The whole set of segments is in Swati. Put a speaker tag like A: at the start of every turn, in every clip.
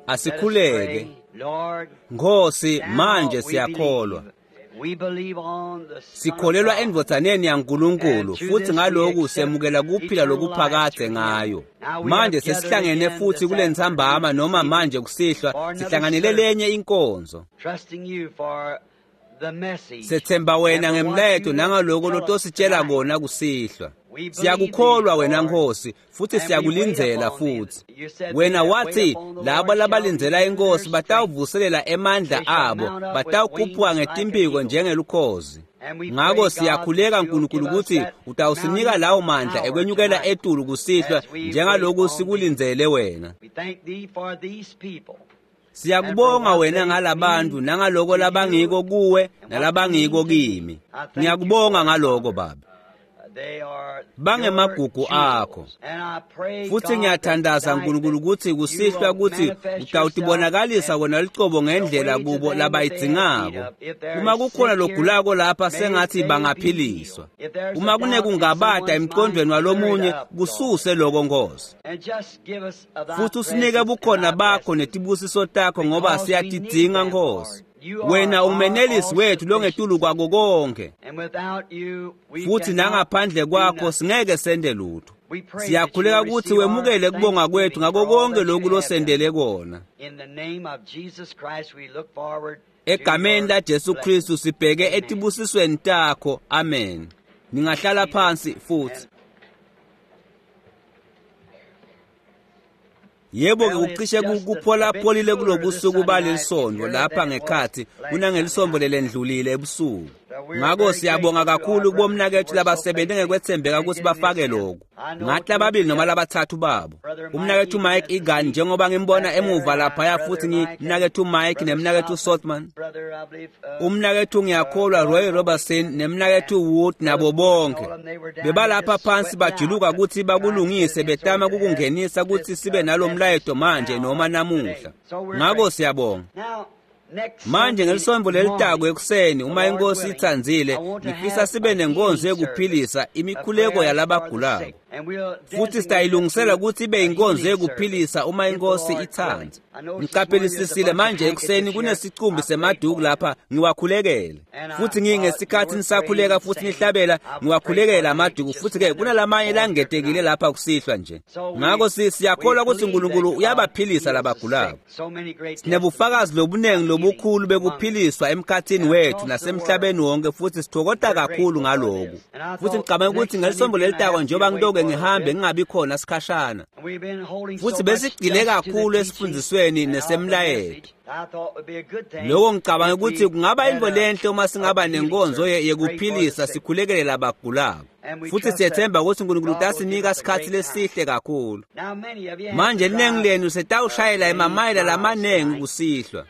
A: Asikhuleke. Nkhosi, manje siyakholwa. Sikholelwa endvodzaneni yaNkulunkulu futhi ngaloku semukela kuphila lokuphakadze ngayo. Manje sesihlangene futhi kulentsambama noma manje kusihlwa sihlanganele lenye inkonzo. Sethemba wena ngemlayeto nangaloko lotositshela kona kusihlwa. Siyakukholwa wena Nkosi futhi siyakulindzela futhi. Wena wathi labo labalindzela inkosi batawuvuselela emandla abo, batawukhuphuka ngetimpiko njengelukhozi. Ngako siyakhuleka Nkulunkulu ukuthi utawusinika lawo mandla ekwenyukela etulu kusihlwa njengaloku sikulindzele wena. Siyakubonga wena ngalabantu nangaloko labangiko kuwe nalabangiko kimi. Ngiyakubonga ngaloko Baba. Bangemagugu akho. Futhi ngiyathandaza Nkulunkulu ukuthi kusihlwa ukuthi utawutibonakalisa wena lucobo ngendlela kubo labayidzingako. Uma kukhona logulako lapha sengathi bangaphiliswa. Uma kunekungabata emqondweni walomunye kususe loko Nkosi. Futhi usinike bukhona bakho netibusiso takho ngoba siyatidzinga Nkosi. Wena umenelisi wethu longetulu kwako konke. Futhi nangaphandle kwakho singeke sende lutho. Siyakhuleka ukuthi wemukele kubonga kwethu ngako konke lokhu losendele kona. Egameni laJesu Kristu sibheke etibusisweni takho. Amen. Ningahlala phansi futhi. Yebo ke kucishe kupholapholile kulobusuku balelisondo lapha ngekhathi kunangelisombo lelendlulile ebusuku. Ngako siyabonga kakhulu kubomnakethu labasebenze ngekwethembeka ukuthi bafake lokhu. Ngathi lababili noma labathathu babo. Umnakethu Mike Egan njengoba ngimbona emuva laphaya futhi ngimnakethu Mike nemnakethu Sothman. Umnakethu ngiyakholwa Roy Robertson nemnakethu Wood nabo bonke. Bebalapha phansi bajuluka ukuthi bakulungise betama kukungenisa ukuthi sibe nalomlayeto manje noma namuhla. Ngako siyabonga. Manje ngelisonto lelitako ekuseni uma inkosi itsandzile ngifisa sibe nenkonzo yekuphilisa imikhuleko yalabagulako. Futhi sitayilungisela ukuthi ibe inkonzo yekuphilisa uma inkosi itsandza. Ngiqaphelisisile manje ekuseni kunesicumbi semaduku lapha ngiwakhulekele. Futhi ngingesikhathi nisakhuleka futhi nihlabela ngiwakhulekela amaduku futhi ke kunalamanye langetekile lapha kusihlwa nje. Ngako siyakholwa ukuthi uNkulunkulu uyabaphilisa labagulako. Sinebufakazi lobunengi lobukhulu bekuphiliswa emkhathini wethu nasemhlabeni wonke futhi sithokota kakhulu ngaloku. Futhi ngicabanga ukuthi ngelisonto lelitako njengoba ngitoke ngihambe ngingabi khona sikhashana. Futhi besigcile kakhulu esifundisweni nesemlayeto. Lokho ngicabanga ukuthi kungaba into lenhle uma singaba nenkonzo yekuphilisa sikhulekele labagulako. Futhi siyethemba ukuthi uNkulunkulu utasinika isikhathi lesihle kakhulu. Manje linengi lenu setawushayela emamayela lamanengi kusihlwa.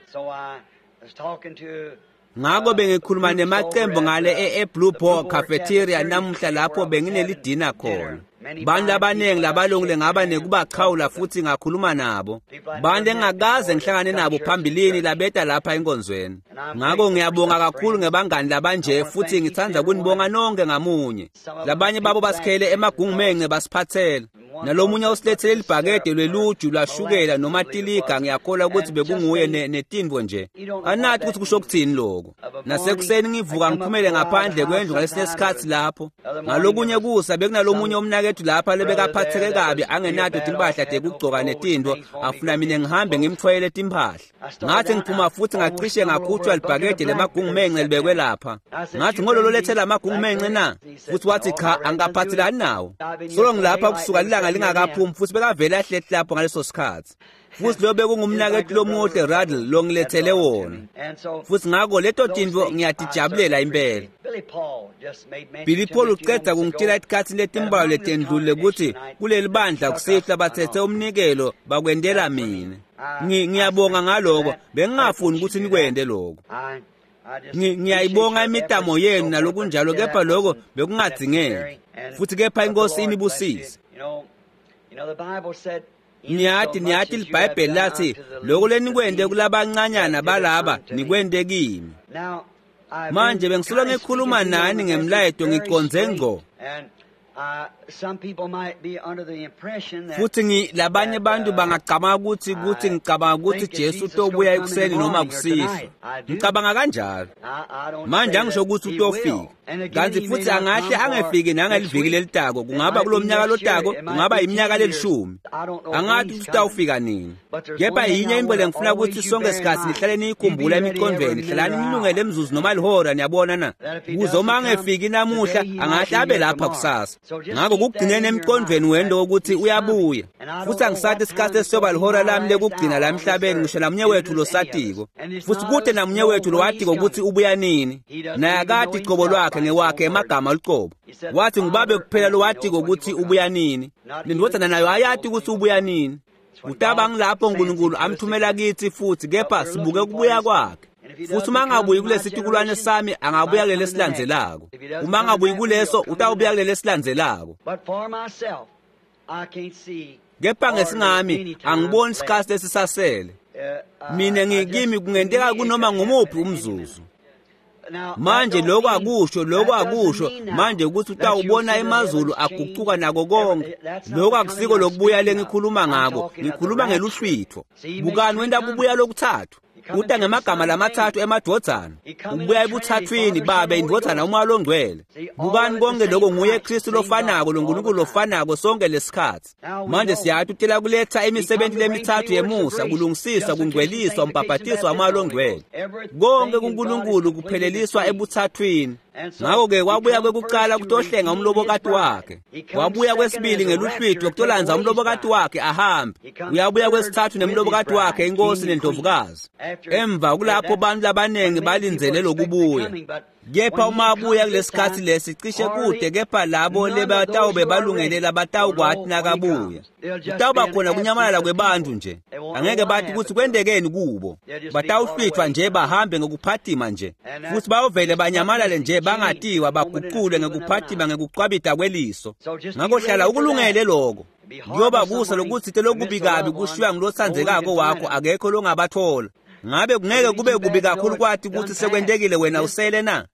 A: Ngako bengikhuluma nemacembu ngale e-Blue Boar Cafeteria namuhla lapho benginelidina khona. Bantu abanengi labalungile ngaba nekubachawula futhi ngakhuluma nabo. Bantu engakaze ngihlangane nabo phambilini labeta lapha enkonzweni. Ngako ngiyabonga kakhulu ngebangani labanje futhi ngithanda kunibonga nonke ngamunye. Labanye babo basikhele emagungumence basiphathela. Nalomunye usilethele libhakede lweluju lwashukela noma tiliga ngiyakholwa ukuthi bekunguye netinvo nje. Anathi ukuthi kusho kuthini lokho. Nasekuseni ngivuka ngiphumele ngaphandle kwendlu ngalesinye isikhathi lapho. Ngalokunye kusa bekunalomunye umnakethu lapha lebekaphatheke kabi angenato timpahla tekugcoka netinto afuna mina ngihambe ngimthwayele timpahla. Ngathi ngiphuma futhi ngacishe ngakhutshwa libhakede lemagungumence libekwe lapha. Ngathi ngololo lethela amagungumence na? Futhi wathi cha angikaphathelani nawo. Solo ngilapha kusuka ilanga lingakaphumi futhi bekavele ahleti lapho ngaleso sikhathi. Futhi lo bekungumnakethu lomuhle Radle longilethele wona. Futhi ngako leto tinto ngiyatijabulela impela. Billy Paul uceda kungitshela isikhathi letimbalwa letendlulile ukuthi kuleli bandla kusihlwa bathethe umnikelo bakwendela mina. Ngiyabonga ngaloko bengingafuni ukuthi nikwende lokho. Ngiyayibonga imitamo yenu nalokunjalo kepha lokho bekungadzingeki. Futhi kepha inkosi inibusise. Niyathi liBhayibheli lathi lokho lenikwende kulabancanyana balaba nikwende kimi. Manje bengisolo ngikhuluma nani ngemlayeto ngiqonze ngqo. Futhi labanye bantu bangacabanga ukuthi ngicabanga ukuthi Jesu utobuya ekuseni noma kusihlwa. Ngicabanga kanjalo. Manje angisho ukuthi utofika. Kanti futhi angahle angefiki nangeliviki lelitako, kungaba kulomnyaka lotako, kungaba iminyaka lelishumi. Angathi ukuthi utawufika nini. Kepha yinye into lengifuna ukuthi sonke sikhathi nihlale niyikhumbula emiqondweni, hlalani nilungele emzuzu noma lihora, niyabona na? Kuze uma angefiki namuhla, angahle abe lapha kusasa. Ngakho kugcineni emqondweni wento ukuthi uyabuya. Futhi angisathi isikhathi esiyoba lihora lami lekugcina la emhlabeni, ngisho namunye wethu losatiko. Futhi kude namunye wethu lowatiko ukuthi ubuya nini. Naye akati cobo lwakhe ngewakhe emagama lucobo. Wathi ngubabe kuphela lowatiko ukuthi ubuya nini. Nendvodzana nayo ayati ukuthi ubuya nini. Utaba ngilapho uNkulunkulu amthumela kithi futhi kepha sibuke kubuya kwakhe. Futhi uma angabuyi kulesi situkulwane sami, angabuya kuleli esilandzelako. Uma angabuyi kuleso, utawubuya kuleli esilandzelako. Kepha ngesingami angiboni isikhathi lesisasele. Mina ngikimi kungenteka kunoma ngumuphi umzuzu. Manje lokho akusho manje ukuthi utawubona emazulu aguquka nako konke. Lokho akusiko lokubuya lengikhuluma ngako, ngikhuluma ngeluhlwitho. Bukani wenta kubuya lokuthathu. Uta ngemagama lamathathu emadvodzana. Ubuya ebuthathwini, Babe, indvodzana, uMoya loNgcwele. Bukani konke lokho nguye Kristu lofanako, loNkulunkulu lofanako sonke lesikhathi. Manje siyathi utela kuletha imisebenzi lemithathu yemusa, kulungisiswa, kungcweliswa, umbhabhatiso waMoya loNgcwele. Konke kuNkulunkulu kupheleliswa ebuthathwini. Ngakho-ke wabuya kwekuqala kutohlenga umlobokati wakhe. Wabuya kwesibili ngeluhlwitho kutolandza umlobokati wakhe ahambe. Uyabuya kwesithathu nemlobokati wakhe inkosi nendlovukazi. Emva kulapho bantu labaningi balindzele lokubuya. Kepha uma abuya kulesikhathi lesi cishe kude, kepha labo lebatawube balungele labatawukwati nakabuya. Kutawuba khona kunyamalala kwebantu nje. Angeke bathi ukuthi kwentekeni kubo. Batawuhlwithwa nje bahambe ngokuphatima nje. Futhi bayovele banyamalale nje bangatiwa baguqulwe ngokuphatima ngekucwabita kweliso. Ngakho hlala ukulungele lokho. Kuyoba kusa lokuthi lokubi kabi kushiywa ngulotsandzekako wakho, akekho longabathola. Ngabe kungeke kube kubi kakhulu kwathi ukuthi sekwentekile wena usele na?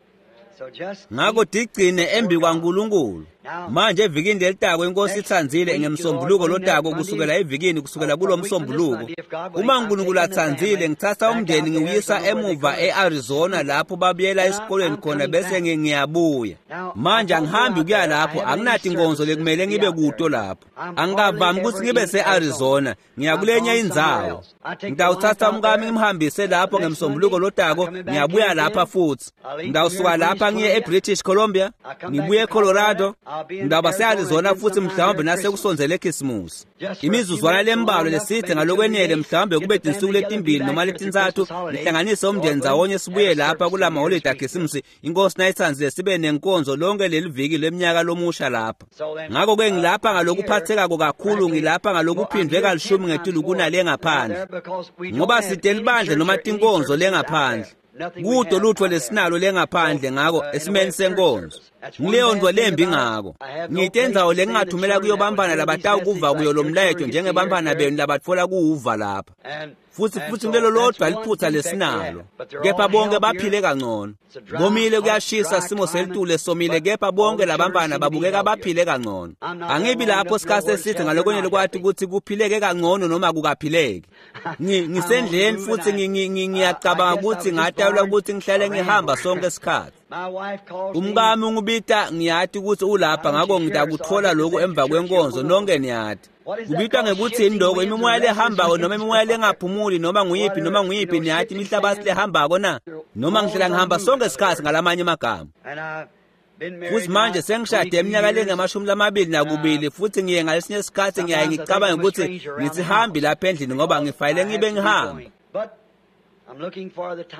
A: Ngakho digcine embi kwaNkulunkulu. Manje evikini lelitako inkosi itsandzile ngemsombuluko lotako kusukela evikini kusukela kulomsombuluko. Uma uNkulunkulu atsandzile ngithatha umndeni ngiwuyisa emuva eArizona lapho babuyela esikolweni khona bese ngiyabuya. Manje angihambi kuya lapho, anginathi inkonzo lekumele ngibe kuto lapho. Angikavami ukuthi ngibe seArizona, ngiya kulenye indzawo. Ngitawuthatha umkami ngimhambise lapho ngemsombuluko lotako, ngiyabuya lapha futhi. Ngitawusuka lapha ngiye eBritish Columbia, ngibuye eColorado. Ngidaba se-Arizona futhi mhlawumbe nasekusondzele eKhisimusi. Imizuzwana lembalwa lesithe ngalokwenele mhlawumbe kube tinsuku letimbili noma letintsatfu ngihlanganise umndeni ndzawonye sibuye lapha kulama holiday aKhisimusi. Inkosi nayitsandzile sibe nenkonzo lonke leli viki leminyaka lomusha lapha. Ngakho-ke ngilapha ngalokuphathekako kakhulu, ngilapha ngalokuphindwe kalishumi ngetulu kunale ngaphandle. Ngoba site libandla noma tinkonzo lengaphandle. Kudo lutho lesinalo lengaphandle ngako esimeni senkonzo. Ngileyo nto lembi ngako. Ngite indzawo lengingathumela kuyo bantfwana labatawukuva kuyo lo mlayeto njengebantfwana benu labatfola kuwuva lapha. Futhi kulelo lodwa liphutha lesinalo. Kepha bonke baphile kangcono. Komile kuyashisa simo selitulu esomile, kepha bonke labantfwana babukeka baphile kangcono. Angibi lapho sikhathi eside ngalokwenele kwathi ukuthi kuphileke kangcono noma kukaphileki. Ngisendleleni futhi ngiyacabanga ukuthi ngatawula ukuthi ngihlale ngihamba sonke isikhathi. Umkami ungibita ngiyathi ukuthi ulapha, ngakho ngitakuthola lokhu emva kwenkonzo nonke niyathi. Kubitwa ngekuthi indoko imimoya lehambako noma imimoya lengaphumuli noma nguyiphi niyathi imihlabathi lehambako na noma ngihlala ngihamba sonke isikhathi ngalamanye amagama. Futhi manje sengishade eminyaka lengamashumi 22 futhi ngiye ngalesinye isikhathi ngiyaye ngicabanga ukuthi ngithi hambi lapha endlini ngoba ngifanele ngibe ngihamba.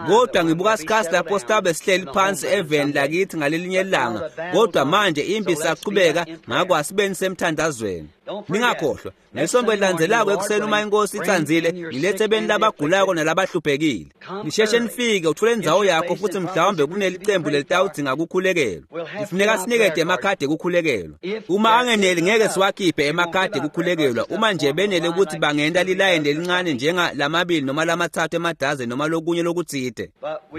A: Kodwa ngibuka isikhathi lapho sitabe sihleli phansi eveni lakithi ngalelinye ilanga. Kodwa manje impi isaqhubeka, ngakho asibeni semthandazweni. Ningakhohlwa, ngelisonto elilandzelako ekuseni uma inkosi itsandzile, ngilethe beni labagulako nalabahluphekile. Nisheshe nifike uthole indzawo yakho futhi mhlawumbe kunelicembu lelitawudzinga kukhulekelwa. Kufuneka sinikete emakhadi ekukhulekelwa. Uma angeneli ngeke siwakhiphe emakhadi ekukhulekelwa, uma nje benele ukuthi bangenta lilayini lelincane njenga lamabili noma lamathathu emadazeni noma lokunye lokutsite.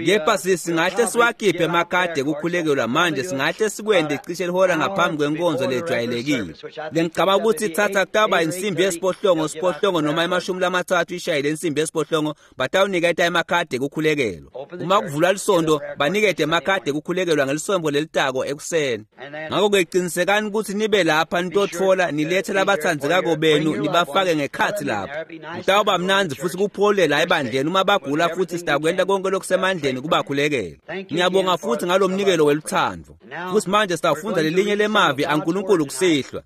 A: Kepha singahle siwakhiphe emakhadi ekukhulekelwa manje, singahle sikwente cishe lihora ngaphambi kwenkonzo lejwayelekile. Lengicabanga ukuthi ithatha kutawuba insimbi yesiphohlongo noma 30 ishayile insimbi yesiphohlongo, batawuniketa emakhadi ekukhulekelwa. Uma kuvulwa lisonto banikete emakhadi ekukhulekelwa ngelisonto lelitako ekuseni. Ngakho-ke qinisekani ukuthi nibe lapha nitotfola nilethe labatsandzekako benu nibafake ngekhatsi lapha. Kutawuba mnandzi futhi kuphole la ebandleni uma bagula, futhi sitakwenta konke lokusemandleni kubakhulekela. Ngiyabonga futhi ngalomnikelo welutsandvo. Futhi manje sitawufundza lelinye lemavi aNkulunkulu kusihlwa.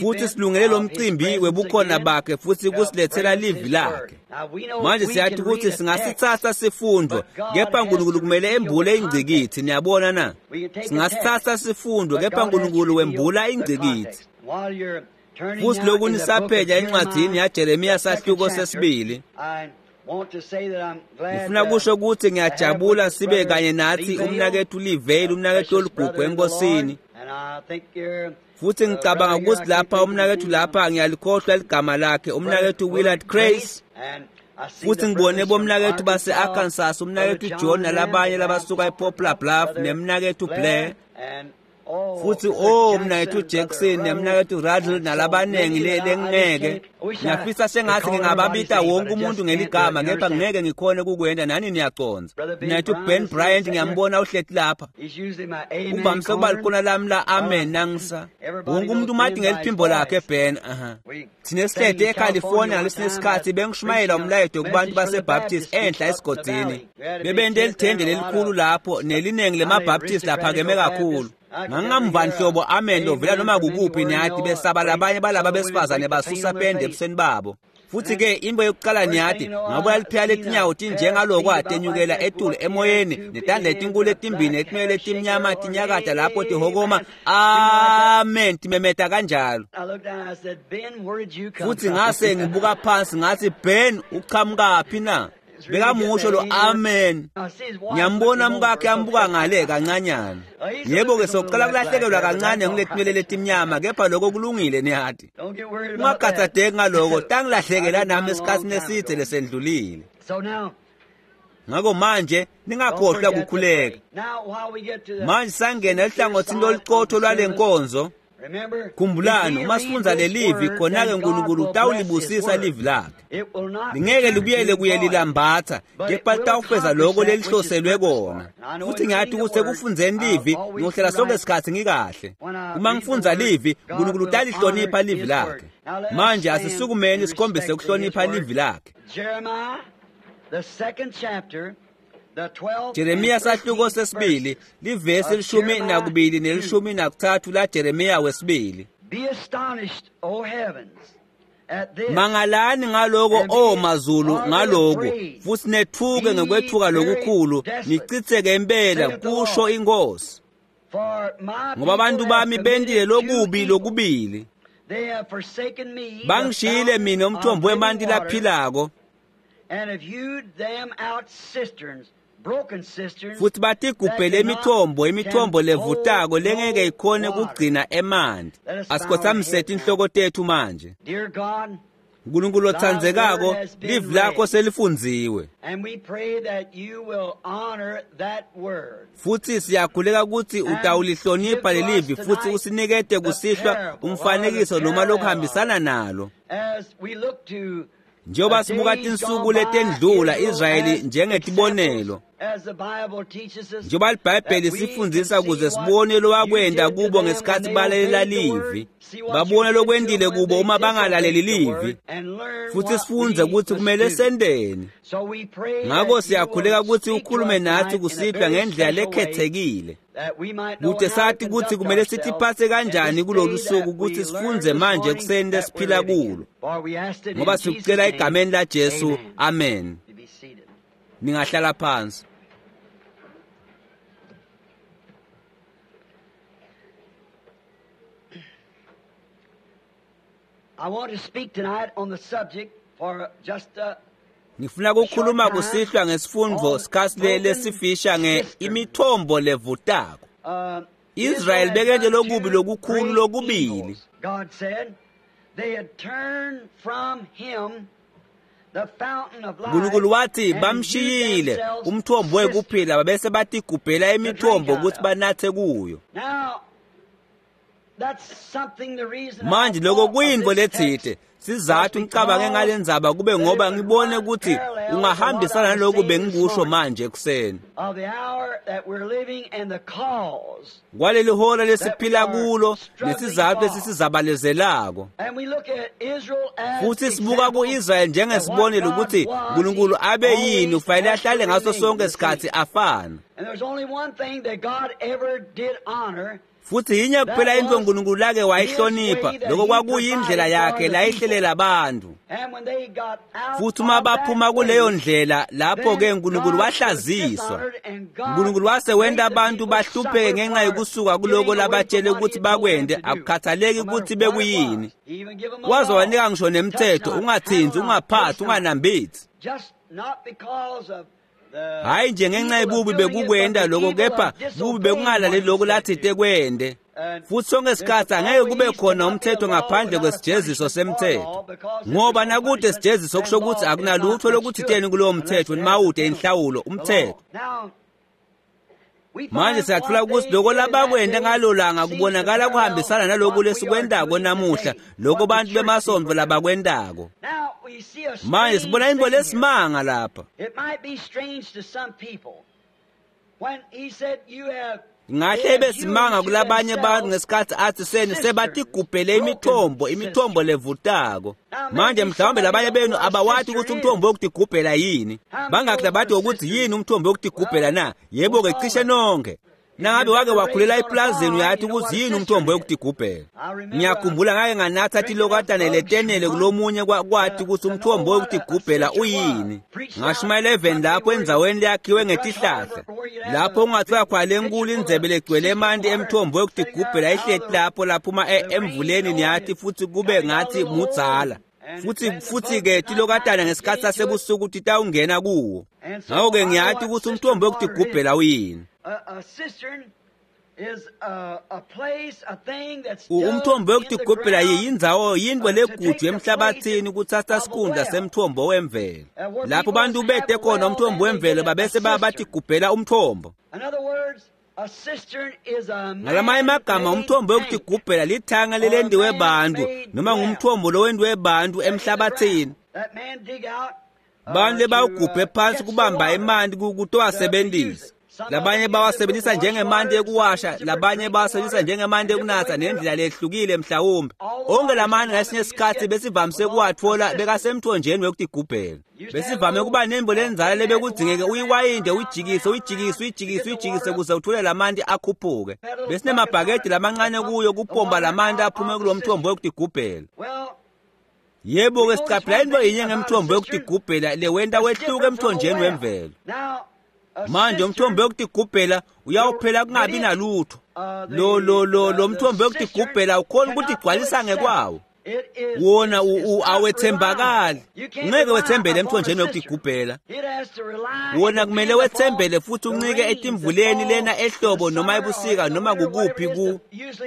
A: Futhi silungele lo mcimbi webukhona bakhe futhi kusilethela livi lakhe. Manje siyathi ukuthi singasithatha sifundo, kepha uNkulunkulu kumele embule ingcikithi. Niyabona na? Singasithatha sifundo, kepha uNkulunkulu wembula ingcikithi. Futhi lokhu nisaphenya encwadini yaJeremiya sahluko sesibili. Ngifuna kusho ukuthi ngiyajabula sibe kanye nathi umnakethu Livale, umnakethu oligugu enkosini. Futhi ngicabanga ukuthi lapha umnakethu lapha ngiyalikhohlwa ligama lakhe, umnakethu Willard Grace. Futhi ngibone bomnakethu base-Arkansas, umnakethu John nalabanye labasuka ePoplar Bluff, nemnakethu Blair. Futhi umnakethu Jackson nemnakethu Radl nalabanengi lengeke. Ngiyafisa sengathi ngingababita wonke umuntu ngeligama, kepha ngeke ngikhone ukukwenta, nani niyaconza. Mnakethu Ben Bryant ngiyambona uhleti lapha. Uvamise ukuba likhona lami la amen nangisa. Wonke umuntu umati ngeliphimbo lakhe Ben. Thina sihleti eCalifornia ngalesinye isikhathi bengishumayela umlayeto kubantu baseBaptist enhla esigodini. Bebente lithende lelikhulu lapho nelinengi lemaBaptist laphakeme kakhulu. Ngangingamva nhlobo amen lovela noma kukuphi niyathi, besaba labanye balaba besifazane basusa pende ebusweni babo. Futhi ke into yokuqala niyathi ngabuya liphela letinyawo tinjengaloko atenyukela etulu emoyeni netandla letinkulu letimbili netinwele letimnyama tinyakata lapho tihokoma amen timemeta kanjalo. Futhi ngase ngibuka phansi ngathi, Ben uqhamukaphi na? Bekamusho lo amen. Ngiyambona umkakhe ambuka ngale kancanyana. Yebo-ke sokuqala kulahlekelwa kancane ngiletinwele letimnyama, kepha lokho kulungile niyathi. Ungakhathazeki ngaloko, tangilahlekela nami esikhathini eside lesendlulile. Ngakho manje ningakhohlwa ukukhuleka. Manje sangena ehlangothini loluqotho lwale nkonzo. Khumbulani, uma sifundza lelivi khona-ke uNkulunkulu utawulibusisa livi lakhe. Lingeke libuyele kuye lilambatha, kepha litawufeza lokho lelihloselwe kona. Futhi ngiyathi ukuthi ekufundzeni livi ngiyohlala sonke isikhathi ngikahle. Uma ngifundza livi, uNkulunkulu utalihlonipha livi lakhe. Manje asisukumeni sikhombise ukuhlonipha livi lakhe. Jeremiya sahluko sesibili, livesi 12 ne-13 la Jeremiya wesibili. Mangalani ngaloko o mazulu ngaloko, futhi nethuke ngokwethuka lokukhulu, nichitheke impela, kusho inkosi. Ngoba abantu bami bentile lokubi lokubili. Bangishiyile mina umthombo wemanti laphilako, futhi batigubhele imithombo levutako lengeke ikhone kugcina emanti. Asikhothamise tinhloko tethu manje. Nkulunkulu otsandzekako, livi lakho selifundziwe. Futhi siyakhuleka ukuthi utawulihlonipha lelivi futhi usinikete kusihlwa umfanekiso noma lokuhambisana nalo. Njengoba sibuka tinsuku letendlula Israyeli njengetibonelo, njengoba liBhayibheli sifundzisa ukuze sibone lowakwenta kubo ngesikhathi balalela livi, babone lokwentile kubo uma bangalaleli livi, futhi sifundze ukuthi kumele senteni. Ngakho siyakhuleka ukuthi ukhulume nathi kusihlwa ngendlela lekhethekile, kute sathi ukuthi kumele sitiphathe kanjani kulolu suku, ukuthi sifundze manje ekuseni lesiphila kulo. Ngoba sikucela egameni laJesu, amen. Ningahlala phansi. Ngifuna ukukhuluma kusihlwa ngesifundvo sikhathi lesifisha nge-imithombo levutako. Israel bekente lokubi lokukhulu lokubili. Nkulunkulu wathi bamshiyile umthombo wekuphila babese batigubhela imithombo ukuthi banathe kuyo. Manje lokho kuyintfo letsite. Sizathu ngicabange ngale ndzaba kube ngoba ngibone ukuthi ungahambisana naloku bengikusho manje ekuseni. Kwaleli hora lesiphila kulo nesizathu lesisizabalezelako. Futhi sibuka ku-Israyeli njengesibonelo ukuthi uNkulunkulu abe yini ufanele ahlale ngaso sonke isikhathi afana. Futhi yinye kuphela into uNkulunkulu lake wayihlonipha, lokho kwakuyindlela yakhe layihlelela abantu. Futhi uma baphuma kuleyo ndlela, lapho-ke uNkulunkulu wahlaziswa. uNkulunkulu wase wenta abantu bahlupheke ngenxa yokusuka kuloko labatshele ukuthi bakwende, akukhathaleki ukuthi bekuyini. Waze wanika ngisho nemithetho, ungathinzi, ungaphathi, unganambithi. Hayi nje ngenxa yebubi bekukwenda lokho, kepha bubi bekungalaleli lokho lathite kwende. Futhi sonke isikhathi angeke kube khona umthetho ngaphandle kwesijeziso semthetho, ngoba nakude sijeziso kusho ukuthi akunalutho lokuthiteni kulowo mthetho nimawude inhlawulo umthetho. Manje siyathola ukuthi lokho labakwenda ngalo langa kubonakala kuhambisana naloku lesikwendako namuhla, lokho bantu bemasonto labakwendako. Manje sibona into lesimanga lapha. Ngahle ibe simanga kulabanye abantu ngesikhathi athi seni sebatigubhele imithombo, imithombo levutako. Manje mhlawumbe labanye benu abawathi ukuthi umthombo wokutigubhela yini. Bangakhi labathi ukuthi yini umthombo wokutigubhela na? Yebo-ke cishe nonke. Nangabe wake wakhulela eplazini uyathi ukuthi yini umthombo wokutigubhela. Ngiyakhumbula ngake nganatha tilokatane letenele kulomunye kwathi ukuthi umthombo wokutigubhela uyini. Ngashumayela eveni lapho endzaweni leyakhiwe ngetihlahla. Lapho ungathiwa khona lenkulu indzebe legcwele emanti emthombo wokutigubhela ihleti lapho laphuma emvuleni niyathi futhi kube ngathi mudzala. Futhi-ke tilokatana ngesikhathi sasebusuku titawungena kuwo. Ngakho-ke ngiyathi ukuthi umthombo wokutigubhela uyini. Umthombo wokutigubhela yindzawo yintfo leguju emhlabathini kuthatha sikhundla semthombo wemvelo. Lapho bantu bete khona umthombo wemvelo babese batigubhela umthombo. Ngalamanye amagama umthombo wokutigubhela lithanga lelendiwe bantu noma ngumthombo lowendiwe bantu emhlabathini. Bantu lebawugubhe phansi kubamba emanti kutowasebenzisa. Labanye bawasebenzisa njengemanti ekuwasha, labanye bawasebenzisa njengemanti ekunatha nendlela lehlukile mhlawumbe. Onke lamanti ngesinye isikhathi besivamise kuwathola bekasemthonjeni wekutigubhela. Besivame kuba nembo lenzala lebekudzingeke uyiwayinde, uyijikise, uyijikise, uyijikise, uyijikise ukuze uthole lamanti akhuphuke. Besinemabhakede lamancane kuyo kupomba lamanti aphume kulo mthombo wekutigubhela. Yebo-ke sicaphela into yinye ngemthombo wekutigubhela lewenta wehluke emthonjeni wemvelo. Manje umthombo wokutigubhela uyawuphela kungabi nalutho. Lo mthombo wokutigubhela ukhona ukuthi igcwalisa ngekwawo. Wona awethembakali. Ungeke wethembele emthonjeni wokutigubhela. Wona kumele wethembele futhi uncike etimvuleni lena ehlobo noma ebusika noma kukuphi ku.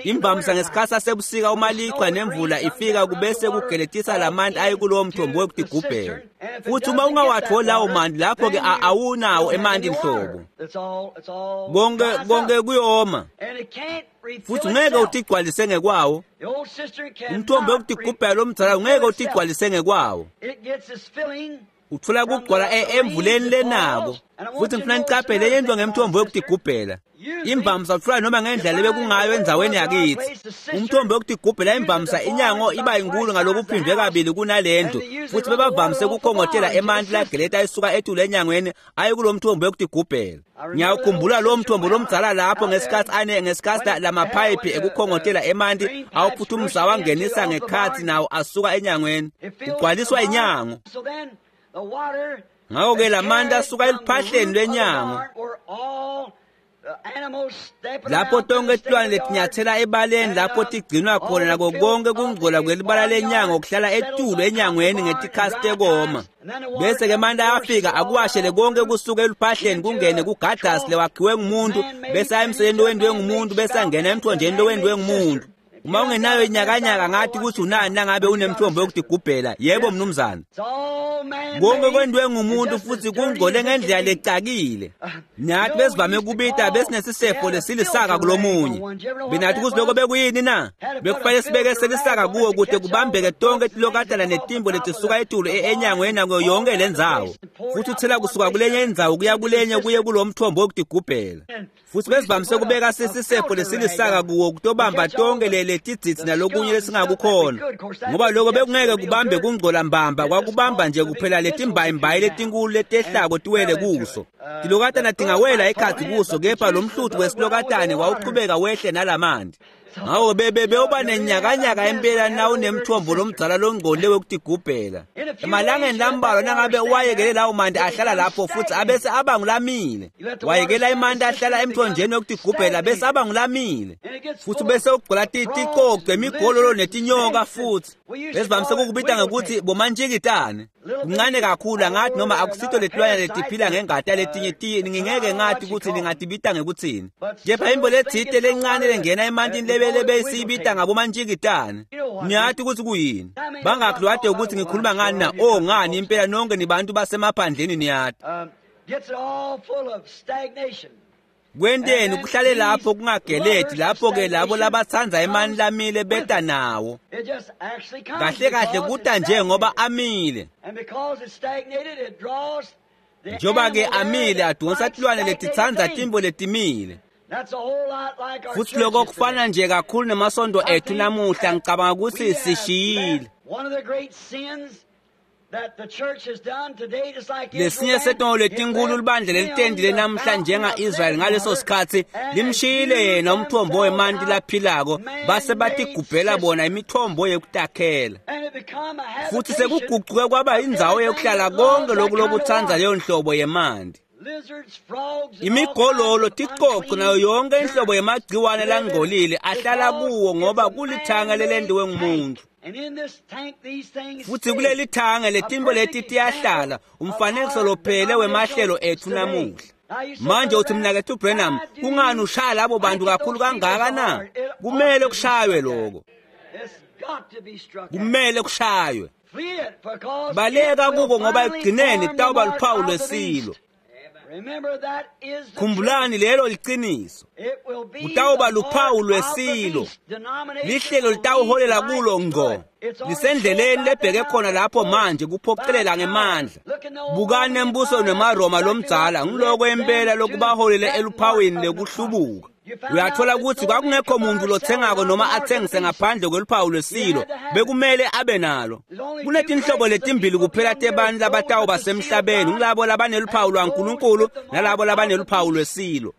A: Imvamisa ngesikhathi sasebusika uma lichwa nemvula ifika kubese kugeletisa lamanti aye kulowo mthombo wokutigubhela. Futhi uma ungawatholi lawo manti lapho-ke awunawo emanti nhlobo. Konke kuyoma. Futhi ungeke utigcwalise ngekwawo. Umthombo wokutigubhela lomdzala ungeke utigcwalise ngekwawo. Uthola kugcwala emvuleni lenako. Futhi ngifuna nicaphele yento ngemthombo yokutigubhela. Imvamisa uthola noma ngendlela ebekungayo endzaweni yakithi. Umthombo yokutigubhela imvamisa inyango iba inkulu ngalokuphindwe kabili kunalendlu. Futhi bebavamise ukukhongotela emanti lageleta isuka etulu enyangweni aye kulo mthombo yokutigubhela. Ngiyawukhumbula lowo mthombo lomdzala lapho ngesikhathi ngesikhathi lamaphayiphi ekukhongotela emanti awuphuthumisa awangenisa ngekhathi nawo asuka enyangweni. Kugcwaliswa inyango. Ngakho-ke lamanti asuka eluphahleni lwenyango. Lapho tonke tilwane letinyathela ebaleni lapho tigcinwa khona nako konke kungcola kwelibala lenyango kuhlala etulu enyangweni ngetikhatsi tekoma. Bese ke manje ayafika akuwashele konke kusuka eluphahleni kungene kugadasi lewakhiwe ngumuntu, bese aya emseleni lowentiwe ngumuntu, bese angena emthonjeni lowentiwe ngumuntu. Uma ungenayo inyakanyaka ngathi ukuthi unani nangabe unemthombo yokutigubhela. Yebo mnumzane. Konke kwentiwe ngumuntu futhi kungcole ngendlela lecakile. Nathi besivame kubita besinesisefo lesilisaka kulomunye. Benathi ukuthi lokho bekuyini na? Bekufanele sibeke selisaka kuwo kude kubambeke tonke tilokatana netimbo letisuka etulu enyangweni nakuyo yonke lendzawo. Futhi uthela kusuka kulenye indzawo kuya kulenye kuye kulo mthombo wokutigubhela. Futhi besivamise kubeka sisefo lesilisaka kuwo kutobamba tonke letidzidzi nalokunye lesingakukhona, ngoba lokho bekungeke kubambe kungcola mbamba, kwakubamba nje kuphela letimbayimbayi letinkulu letehlako tiwele kuso. Tilokatana tingawela ekhatsi kuso, kepha lo mhluthu wesilokatane wawuchubeka wehle nalamanti. Ngako bewuba nenyakanyaka impela na unemthombo lomdzala longcolile wekutigubhela. Emalangeni lambalwa nangabe uwayekele lawo manti ahlala lapho futhi abese aba ngulamile. Wayekela imanti ahlala emthonjeni wekutigubhela bese aba ngulamile. Futhi bese ugcola ticoco, imigololo netinyoka futhi. Besivamise ukubita ngekuthi bomantshikitane. Kuncane kakhulu angathi noma akusito letilwane letiphila ngengati yaletinye ngingeke ngathi ukuthi ningatibita ngekuthini. Kepha imbo letsite lencane lengena emantini lebele besiyibita ngabomantshikitane. Niyathi ukuthi kuyini? Bangakulwade ukuthi ngikhuluma ngani na? Oh ngani impela nonke nibantu basemaphandleni niyathi. Kwenteni kuhlale lapho kungageledi lapho ke labo labatsanza emanti lamile beta nawo. Kahle kahle kuta nje ngoba amile. Njoba ke amile adonsa tilwane letitsandza timbo letimile. Futhi lokho kufana nje kakhulu nemasondo ethu namuhla. Ngicabanga ukuthi sishiyile. Lesinye setono letinkulu libandla lelitendile namhla njenga-Israyeli ngaleso sikhatsi limshiyile yena umthombo wemanti laphilako, base batigubhela bona imithombo yekutakhela. Futhi sekugucuke kwaba indzawo yokuhlala konke loku lokutsandza leyo nhlobo yemanti. Imigololo, ticoco nayo yonke inhlobo yemagciwane langcolile ahlala kuwo ngoba kulithanga lelentiwe ngumuntu. Futhi kuleli thange letimbo leti tiyahlala, umfanekiso lophele wemahlelo ethu namuhla. Manje uthi mnakethu Branham, kungani ushaya labo bantu kakhulu kangaka na? Kumele kushaywe lokho. Kumele kushaywe. Baleka kuko ngoba ekugcineni kutawuba luphawu lwesilo. Khumbulani lelo liciniso. Kutawuba luphawu lwesilo. Lihlelo litawuholela kulo ngqo. Lisendleleni lebheke khona lapho manje kuphoqelela ngemandla. Bukani embuso nemaRoma lomdzala ngiloko impela lokubaholele eluphawini lekuhlubuka. Uyathola ukuthi kwakungekho muntu lothengako noma athengise ngaphandle kweluphawu lwesilo, bekumele abe nalo. Kunetinhlobo letimbili kuphela tebantu labatawuba semhlabeni, ngulabo labaneluphawu lwaNkulunkulu nalabo labaneluphawu lwesilo.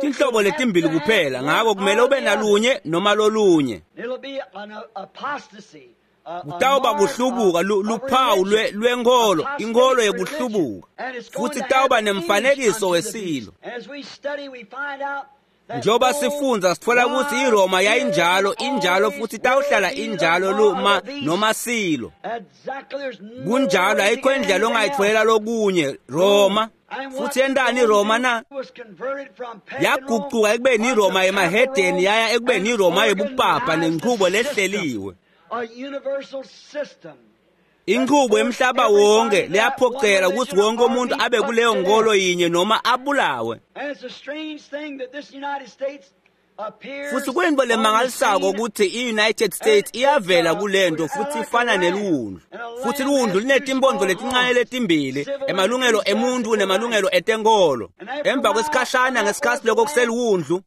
A: Tinhlobo letimbili kuphela, ngako kumele ube nalunye noma lolunye. Kutawuba kuhlubuka luphawu lwenkolo, inkolo yekuhlubuka, futhi kutawuba nemfanekiso wesilo. Njengoba sifundza sitfola ukuthi iRoma yayinjalo, injalo futhi itawuhlala injalo luma noma silo. Kunjalo, ayikho indlela ongayitfolela lokunye Roma. Futhi yentani iRoma na? Yagucuka ekubeni iRoma yemahedeni yaya ekubeni iRoma yebupapa nenchubo lehleliwe. Inchubo yemhlaba wonke leyaphoqela ukuthi wonke umuntu abe kuleyo nkolo yinye noma abulawe. Futhi kuyinto lemangalisako ukuthi i-United States iyavela kulento futhi ifana neliwundlu. Futhi liwundlu linetimpondo letincane letimbili, emalungelo emuntu nemalungelo etenkolo. Emva kwesikhashana ngesikhatsi lokho kuseliwundlu,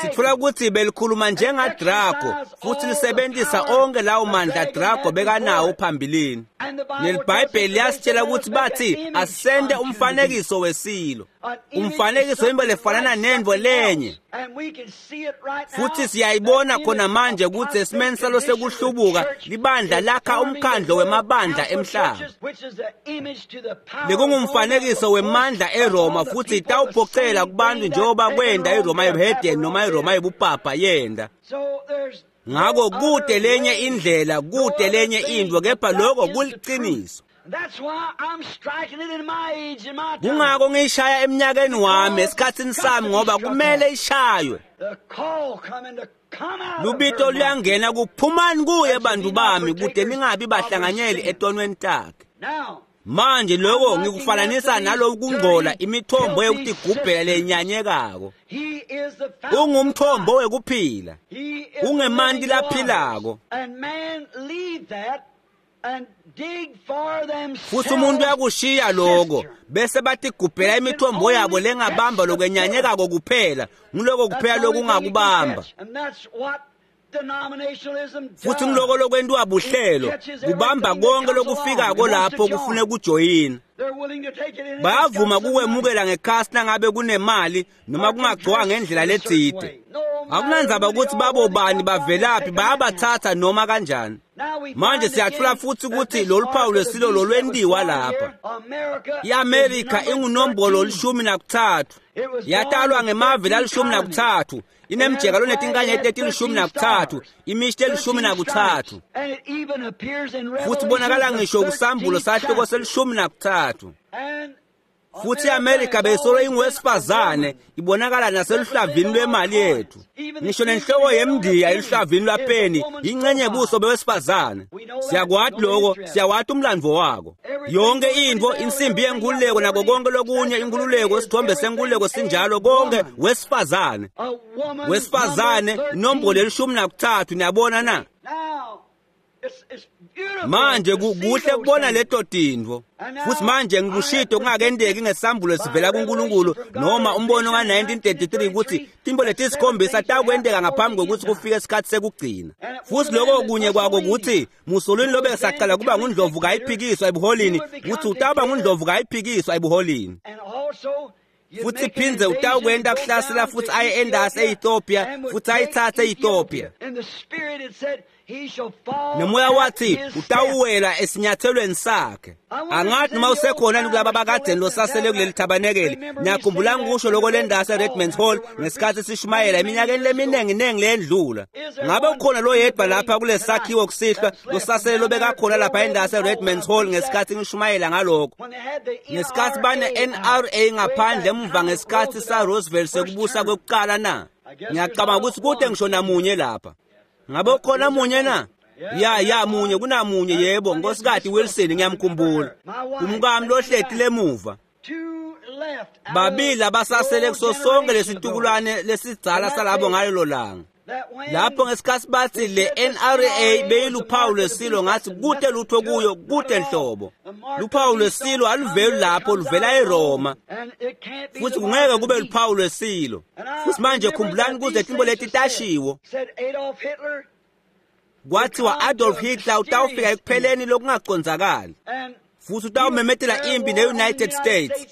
A: sitfola ukuthi belikhuluma njengaDrago futhi lisebenzisa onke lawo mandla Drago bekanawo phambilini. NeliBhayibheli liyasitshela ukuthi bathi asente umfanekiso wesilo, umfanekiso into lefanana nento lenye. Futhi siyayibona khona manje ukuthi esimeni salo sekuhlubuka libandla lakha umkhandlo wemabandla emhlaba. Lekungumfanekiso wemandla eRoma futhi itawuphoqela kubantu njengoba kwenda iRoma yobuhedeni noma iRoma yobupapa yenda. Ngako kude lenye indlela, kude lenye into, kepha lokho kuliqiniso. Kungako ngiyishaya eminyakeni wami esikhathini sami ngoba kumele ishaywe. Lubito luyangena kuphumani kuye bantu bami kude ningabi bahlanganyeli etonweni takhe. Manje lokho ngikufananisa naloku kungcola imithombo yokutigubhela lenyanyekako. Ungumthombo wekuphila. Ungemanti laphilako. Futhi umuntu uyakushiya lokho bese batigubhela imithombo yabo lengabamba lokwenyanyekako kuphela, ngiloko kuphela lokungakubamba. Futhi ngiloko lokwentiwa buhlelo kubamba konke lokufikako lapho kufune kujoyina. Bayavuma kukwemukela ngekhasi nangabe kunemali noma kungagcwanga ngendlela letsite. Akunandzaba ukuthi babobani bavelaphi, bayabathatha noma kanjani. Manje siyathola futhi ukuthi lolu phawu lwesilo lolwentiwa lapha. I-Amerika ingunombolo 13. Yatalwa ngemave la13. Inemjeka lonetinkanyeti leti13, imishti eli13. Futhi bonakala ngisho kusambulo sahluko seli13. Futhi i-Amerika beyisolo ingowesifazane ibonakala naseluhlavini lwemali yethu. Ngisho nenhloko yemndiya eluhlavini lwapeni ingcenye buso bewesifazane. Siyakwati lokho, siyawati umlandvo wako. Yonke into, insimbi yenkululeko nako konke lokunye, inkululeko, isithombe senkululeko sinjalo konke wesifazane. Wesifazane inombolo eli13, niyabona na? Manje kuhle kubona leto tintfo. Futhi manje ngikushito kungakendeki ngesambulo sivela kuNkulunkulu noma umbono ka-1933 ukuthi tintfo letisikhombisa takwenteka ngaphambi kokuthi kufike isikhathi sekugcina. Futhi lokho kunye kwako ukuthi Mussolini lobe saqala kuba ngundlovu kayiphikiswa ebuholini, ukuthi utaba ngundlovu kayiphikiswa ebuholini. Futhi phindze utawukwenta kuhlasela futhi aye endasi e-Ethiopia futhi ayithathe e-Ethiopia. Nomoya wathi utawuwela esinyathelweni sakhe. Angathi noma usekhona kulaba bakadeni losasele kuleli thabanekeli. Niyakhumbula ngikusho lokho lendasi eRedman's Hall ngesikhathi sishumayela eminyakeni leminingi lendlula. Ngabe ukhona lo yedwa lapha kulesakhiwo kusihlwa losasele lobekakhona lapha endasi eRedman's Hall ngesikhathi ngishumayela ngalokho. Ngesikhathi bane NRA ngaphandle emuva ngesikhathi sa Roosevelt sekubusa kwekuqala na. Ngiyacabanga ukuthi kude ngisho namunye lapha. Ngabe ukhona munye na? Ya munye, kunamunye yebo, Nkosikazi Wilson ngiyamkhumbula. Umkami lohleti lemuva. Babili abasasele kuso sonke lesitukulwane lesidzala salabo ngalelo langa. Lapho ngesikhathi bathi le NRA beyiluphawu lwesilo, ngathi kude lutho kuyo, kude nhlobo. Luphawu lwesilo aluveli lapho, luvela eRoma. Futhi kungeke kube luphawu lwesilo. Futhi manje khumbulani kuze tintfo leti tashiwo. Kwathiwa Adolf Hitler utawufika ekupheleni lokungacondzakali. Futhi utawumemetela impi ne-United States.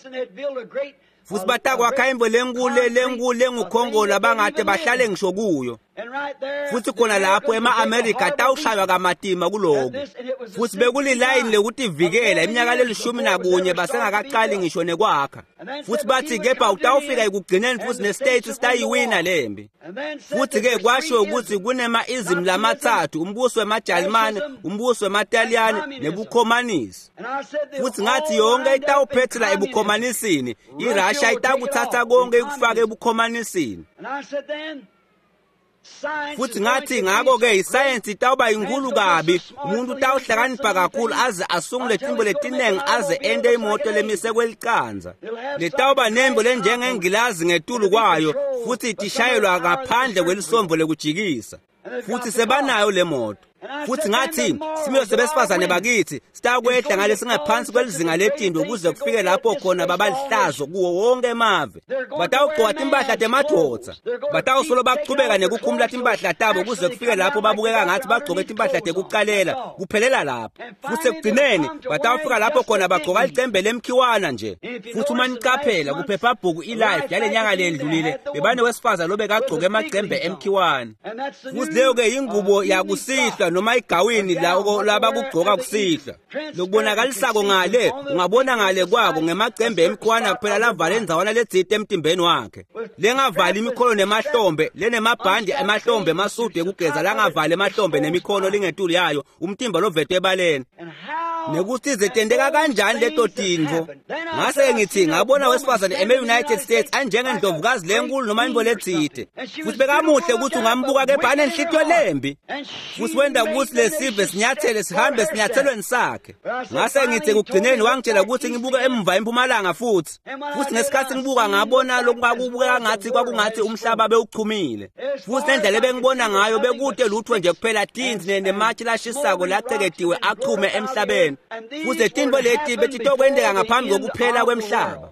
A: Futhi batakwakha imbo lenkulu lengukhongola abangade bahlale ngisho kuyo. Futhi khona lapho ema-Amerika atawushaywa kamatima kuloko. Futhi bekulilayini lekutivikela iminyaka leli-11 basengakaqali ngisho nekwakha. Futhi bathi kepha utawufika ekugcineni futhi ne-States sitayiwina lembi. Futhi-ke kwashiwo ukuthi kunema-ism lamathathu, umbuso wemaJalimane, umbuso wemaTaliyane nebukhomanisi. Futhi ngathi yonke itawuphethela ebukhomanisini, iRussia itakuthatha konke ikufake ebukhomanisini. Futhi ngathi ngako-ke isayensi itawuba inkulu kabi, umuntu utawuhlakanipha kakhulu aze asungule tintfo letinengi aze ente imoto lemise kwelicanza. Letawuba nembo lenjengengilazi ngetulu kwayo futhi itishayelwa ngaphandle kwelisombo lekujikisa. Futhi sebanayo le moto. Futhi ngathi similo sebesifazane bakithi sitakwehla ngalesingaphansi kwelizinga letindo kuze kufike lapho khona babalihlazo kuwo wonke emave. Batawugcoka timpahla temadvodza, batawusolo bachubeka nekukhumula timpahla tabo kuze kufike lapho babukeka ngathi bagcoke timpahla tekucalela, kuphelela lapho. Futhi ekugcineni batawufika lapho khona bagcoka licembe lemkhiwana nje. Futhi uma nicaphela kuphephabhuku iLife yale nyanga lendlulile, bebane wesifazane lobekagcoke emacembe emkhiwane. Futhi leyo-ke yingubo yakusihlwa noma igawini labakugcoka kusihlwa. Lokubonakalisako ngale ungabona ngale kwako ngemacembe emkhiwana kuphela lavale endzawana letsite emtimbeni wakhe, lengavali imikhono nemahlombe, lenemabhandi emahlombe emasudu ekugeza langavali emahlombe nemikhono lingetulu yayo, umtimba lovetwe ebaleni. Nekuthi zetendeka kanjani leto tintfo. Ngase ngithi ngabona wesifazane eme-United States anjengendlovukazi lenkulu noma intfo letsite, futhi bekamuhle ukuthi ungambuka kepha anenhlitiyo lembi, futhi wenda ukuthi lesive sinyathele sihambe sinyathelweni sakhe. Ngase ngithi ekugcineni wangitshela ukuthi ngibuke emva empumalanga futhi ngesikhathi ngibuka ngabona lokubukeka ngathi kwakungathi umhlaba bewuchumile, futhi nendlela ebengibona ngayo bekude lutho nje kuphela tinzi nematshe lashisako laceketiwe achume emhlabeni. Futhi tintfo leti betitokwenteka ngaphambi kokuphela kwemhlaba.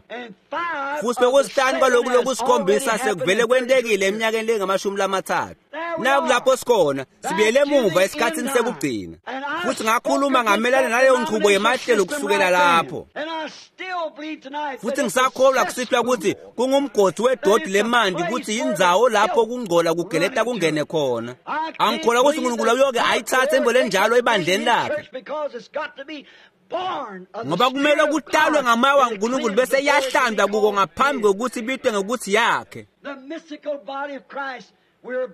A: Futhi bekusihlanu kwaloku lokusikhombisa sekuvele kwentekile eminyakeni lengamashumi-lathathu. Nakulapho sikhona sibuyele emuva esikhathini sekugcina. Futhi ngakhuluma ngamelana naleyo nchubo yemahlelo kusukela lapho. Futhi ngisakholwa kusihlwa ukuthi kungumgodi wedodi lemanti, ukuthi indzawo lapho kungcola kugeleta kungene khona. Angikholwa ukuthi uNkulunkulu uyoke ayithathe intfo lenjalo ebandleni lakhe, ngoba kumele kutalwe ngamoya waNkulunkulu bese iyahlandwa kuko ngaphambi kokuthi ibitwe ngokuthi yakhe.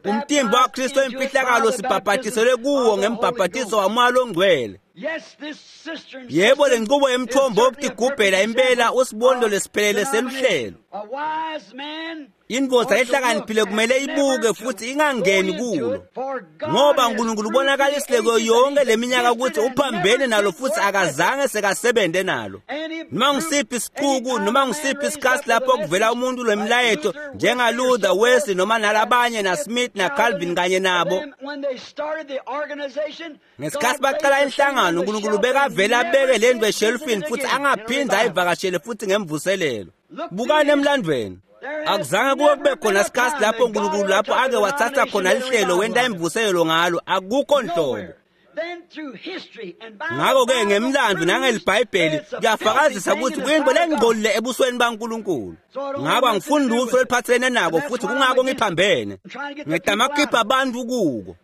A: Umtimba waKristu emfihlakalo sibhabhatiselwe kuwo ngembhabhatiso wamoya longcwele. Yebo, le nqubo yemthombo wokutigubhela impela usibonelo lesiphelele seluhlelo. Indvodza ehlakaniphile kumele ibuke futhi ingangeni kulo, ngoba uNkulunkulu ubonakalisile kuyo yonke leminyaka ukuthi uphambene nalo futhi akazange sekasebente nalo. Noma ngisiphi isicuku noma ngisiphi isikhathi lapho kuvela umuntu lwemilayeto njengaLuther, Wesley noma nalabanye naSmith naCalvin kanye nabo, ngesikhathi baqala inhlangano uNkulunkulu bekavele abeke le nto eshelufini futhi angaphinde ayivakashele futhi ngemvuselelo. Bukani emlandweni, akuzange kuwe kube khona sikhathi lapho uNkulunkulu lapho ake wathatha khona lihlelo wenta imvuselelo ngalo, akukho nhlobo. Ngakho-ke ngemlando nangelibhayibheli kuyafakazisa ukuthi kuyinto lengcolile ebusweni baNkulunkulu. Ngakho angifuni lutho oluphathelene nako futhi kungako ngiphambene. Ngidama kukhipha abantu kuko.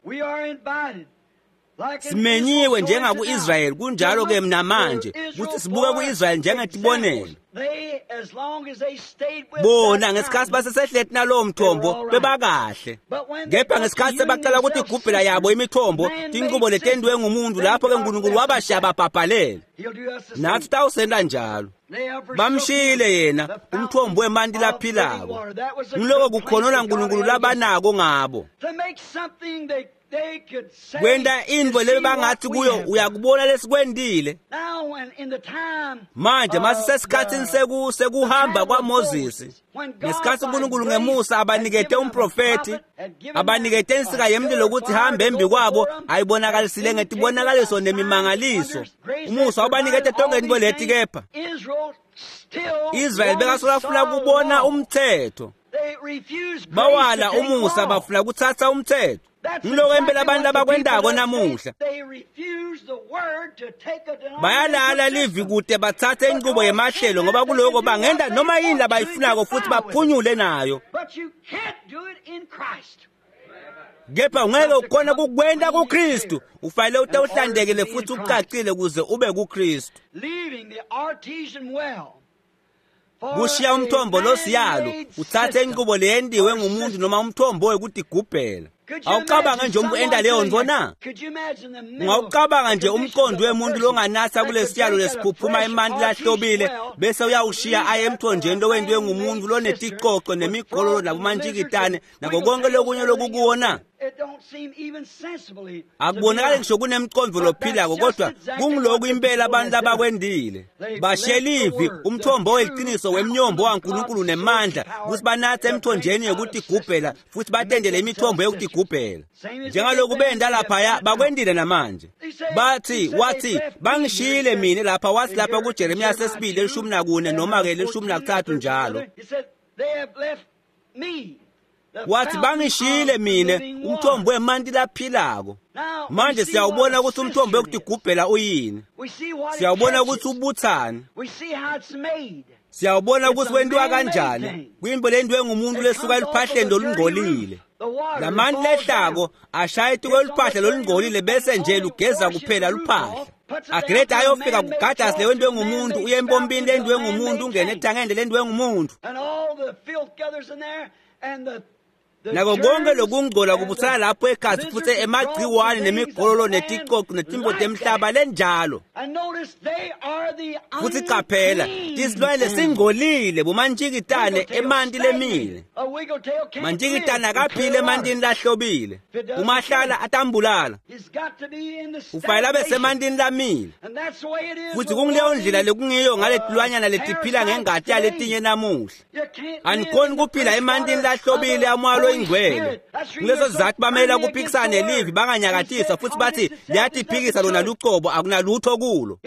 A: Simenyiwe njengaku-Israyeli, kunjalo-ke namanje ukuthi sibuke ku-Israyeli njengetibonelo. Bona ngesikhathi basesehleti nalowo mthombo bebakahle, kepha ngesikhathi sebaqala ukuthi igubhela yabo imithombo tinqubo letendiwe ngumuntu, lapho-ke uNkulunkulu wabashiya babhabhalela. Nathi tawusenta njalo. Bamshiyile yena umthombo wemanti laphilako. Ngiloko kukhonona uNkulunkulu labanako ngabo. Kwenta intfo lebangathi kuyo uyakubona lesikwentile. Manje masisesikhathini sekuhamba kwaMoses, ngesikhathi uNkulunkulu ngemusa abanikete umprofethi, abanikete insika yemlilo ukuthi hambe embi kwabo, ayibonakalisile ngetibonakaliso nemimangaliso. Umusa ubanikete tonke intfo leti, kepha Israyeli bekasolafuna kubona umthetho. Bawala umusa bafuna kuthatha umthetho. Ngiloko impela abantu abakwendako namuhla. Bayalala livi kude bathathe inqubo yemahlelo, ngoba kuloko bangenda noma yini labayifunako futhi baphunyule nayo. Kepha ungeke ukhona kukwenta kuKristu. Ufanele ute uhlantekile futhi ucacile kuze ube kuKristu. Kushiya umthombo losiyalo uthathe inqubo leyendiwe ngumuntu noma umthombo wekutigubhela. Awucabanga nje umuntu enda leyo ntfo na? Ungawucabanga nje umqondo wemuntu longanatha kulesiyalo lesiphuphuma emanti lahlobile bese uyawushiya aye emthonjeni lowentiwe ngumuntu loneticoco nemigololo nabomantshikitane nako konke lokunye lokukuwo na? Akubonakali ngisho kunemcondvo lophilako, kodwa kunguloku impela abantu labakwendile. Bashiye livi, umthombo weliciniso wemnyombo waNkulunkulu nemandla, kutsi banatse emthonjeni yekutigubhela futhi batendele imithombo yekutigubhela. Njengaloku benda laphaya, bakwendile namanje. Bathi, wathi, bangishiyile mina lapha, wathi lapha kuJeremiya sesibili 14 noma-ke 13 njalo. Wathi bangishiyile mine umthombo wemanti laphilako. Manje siyawubona ukuthi umthombo wekutigubhela uyini. Siyawubona ukuthi ubuthani. Siyawubona ukuthi wentiwa kanjani. Kuyimbo lentiwe ngumuntu lesuka eluphahleni lolungcolile. Lamanti lehlako ashaya etikweluphahla lolungcolile bese nje lugeza kuphela luphahla. Agreda ayofika kugadasi lewentiwe ngumuntu, uye empompini lentiwe ngumuntu, ungene ethangeni lentiwe ngumuntu. Nako konke lokungcola kubutsana lapho ekhatsi futhi emagciwane nemigololo neticoco netimbo temhlaba lenjalo. Futhi qaphela, tisilwane lesingcolile bomantjikitane emanti lemile. Mantjikitane akaphile emantini lahlobile. Umahlala atambulala. Ufanele abe semantini lamile. Futhi kunguleyo ndlela lekungiyo ngaletilwanyana letiphila ngengati yaletinye namuhla. Anikhoni kuphila emantini lahlobile amoya loyingcwele. Kuleso sizathu bamela kuphikisana nelivi, banganyakatiswa futhi bathi liyatiphikisa lona lucobo, akunalutho kulo.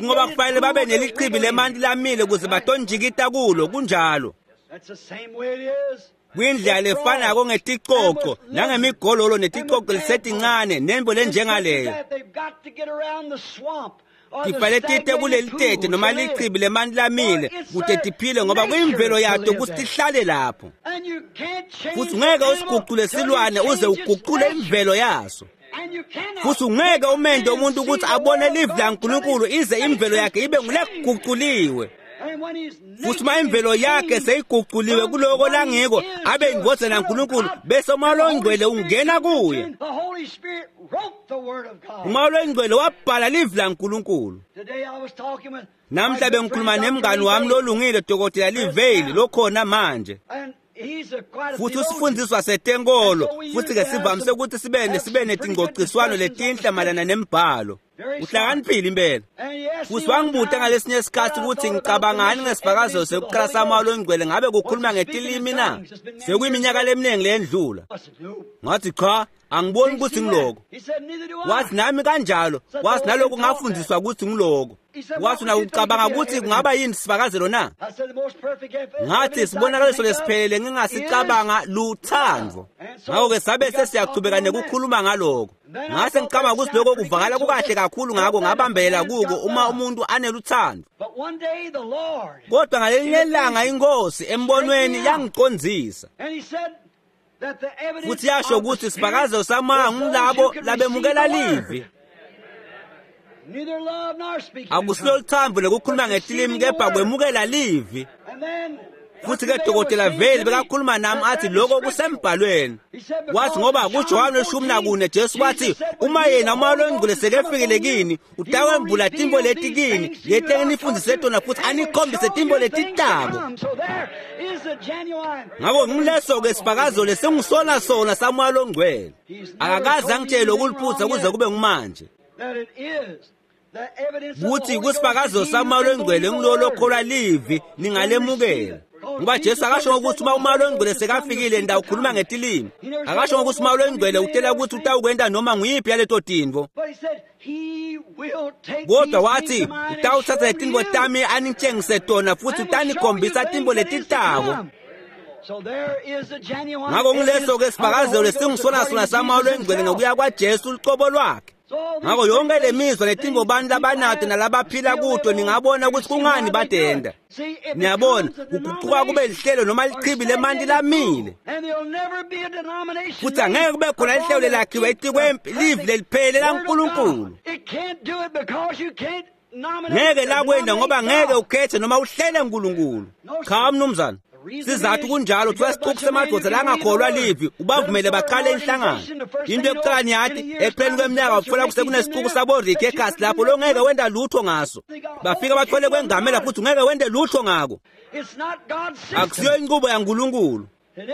A: Ngoba kufanele babe nelichibi lemanti lamile ukuze batonjikita kulo, kunjalo. Kwindlela lefanako ngeticoco nangemigololo neticoco lisetincane nembo lenjengaleyo. Tifanele tite kulelitete noma lichibi lemanti lamile kute tiphile, ngoba kuyimvelo yato kutsi tihlale lapho. Futhi ungeke usigucule silwane uze ugucule imvelo yaso. Futhi ungeke umente umuntu ukuthi abone livi laNkulunkulu ize imvelo yakhe ibe ngulekuguculiwe. Futhi uma imvelo yakhe seyiguculiwe kuloko langiko, abe indvodzana yaNkulunkulu, bese umoya longcwele ungena kuye. Umoya longcwele wabhala livi laNkulunkulu. Namhla bengikhuluma nemngani wami lolungile, Dr. Livale, lokhona manje. Futhi usifundiswa setenkolo, futhi-ke sivamise ukuthi sibe netingcociswano letinhle mayelana nembhalo. Uhlakaniphile impela. Futhi wangibuta ngalesinye isikhathi ukuthi ngicabangani ngesifakazelo sekuqala samoya longcwele, ngabe kukhuluma ngetilimi na? Sekuyiminyaka leminingi leyendlula. Ngathi cha, angiboni ukuthi ngiloko. Wathi nami kanjalo, wathi naloku ngafundiswa ukuthi ngiloko. Wathi na ucabanga ukuthi kungaba yini sifakazelo na? Ngathi sibonakaliso lesiphelele ngingasicabanga luthando. Ngakho-ke sabe sesiyachubeka nekukhuluma ngaloko. Ngase ngicabanga ukuthi lokho kuvakala kukahle kakhulu, ngako ngabambela kuko uma umuntu aneluthando. Kodwa ngalelinye ilanga inkosi embonweni yangiqondzisa. Futhi yasho ukuthi sifakazelo samoya ngulabo labemukela livi. Akusilo luthando lokukhuluma ngetilimi, kepha kwemukela livi. Futhi-ke Dokotela Veli bekakhuluma nami athi lokho kusembhalweni. Wathi ngoba kuJohane 14 Jesu wathi uma yena umoya longcwele sekefikile kini, utawembula timbo leti kini, leti enginifundise tona futhi anikhombise timbo letitako. Ngakho ngileso-ke sifakazelo lesingisona sona samoya longcwele. Akakaze angitshele ukuliphutha kuze kube ngumanje. Kuthi kusifakazelo samoya longcwele ngilolo lokholwa livi ningalemukela. Ngoba Jesu akasho ukuthi uma umoya longcwele sekafikile ndawukhuluma ngetilimi. Akasho ukuthi umoya longcwele utela ukuthi utawukwenta noma nguyiphi yaleto tintfo. Kodwa wathi utawuthatha letinto tami anitshengise tona futhi utanikhombisa timbo letitako. Ngakho ngileso-ke sifakazelo lesingisona sona samoya longcwele ngokuya kwaJesu lucobo lwakhe. Ngakho yonke le mizwa netimbo bantu labanato nalabaphila kuto, ningabona ukuthi kungani badenda. Niyabona, kuguquka kube lihlelo noma lichibi lemanti lamile. Futhi angeke kube khona lihlelo lelakhiwe etikwempi livi leliphelele laNkulunkulu. Ngeke lakwenda ngoba ngeke ukhethe noma uhlele uNkulunkulu. Cha mnumzane. Sizathu kunjalo kuthiwa sixuku semadoda langakholwa livi ubavumele baqale inhlangano. Into yokuqala niyathi ekupheleni kweminyaka uthola kusekunesixuku saboriki ekhasi lapho longeke wenda lutho ngaso. Bafika bathole kwengamela futhi ungeke wende lutho ngako. Akusiyo inqubo yaNkulunkulu.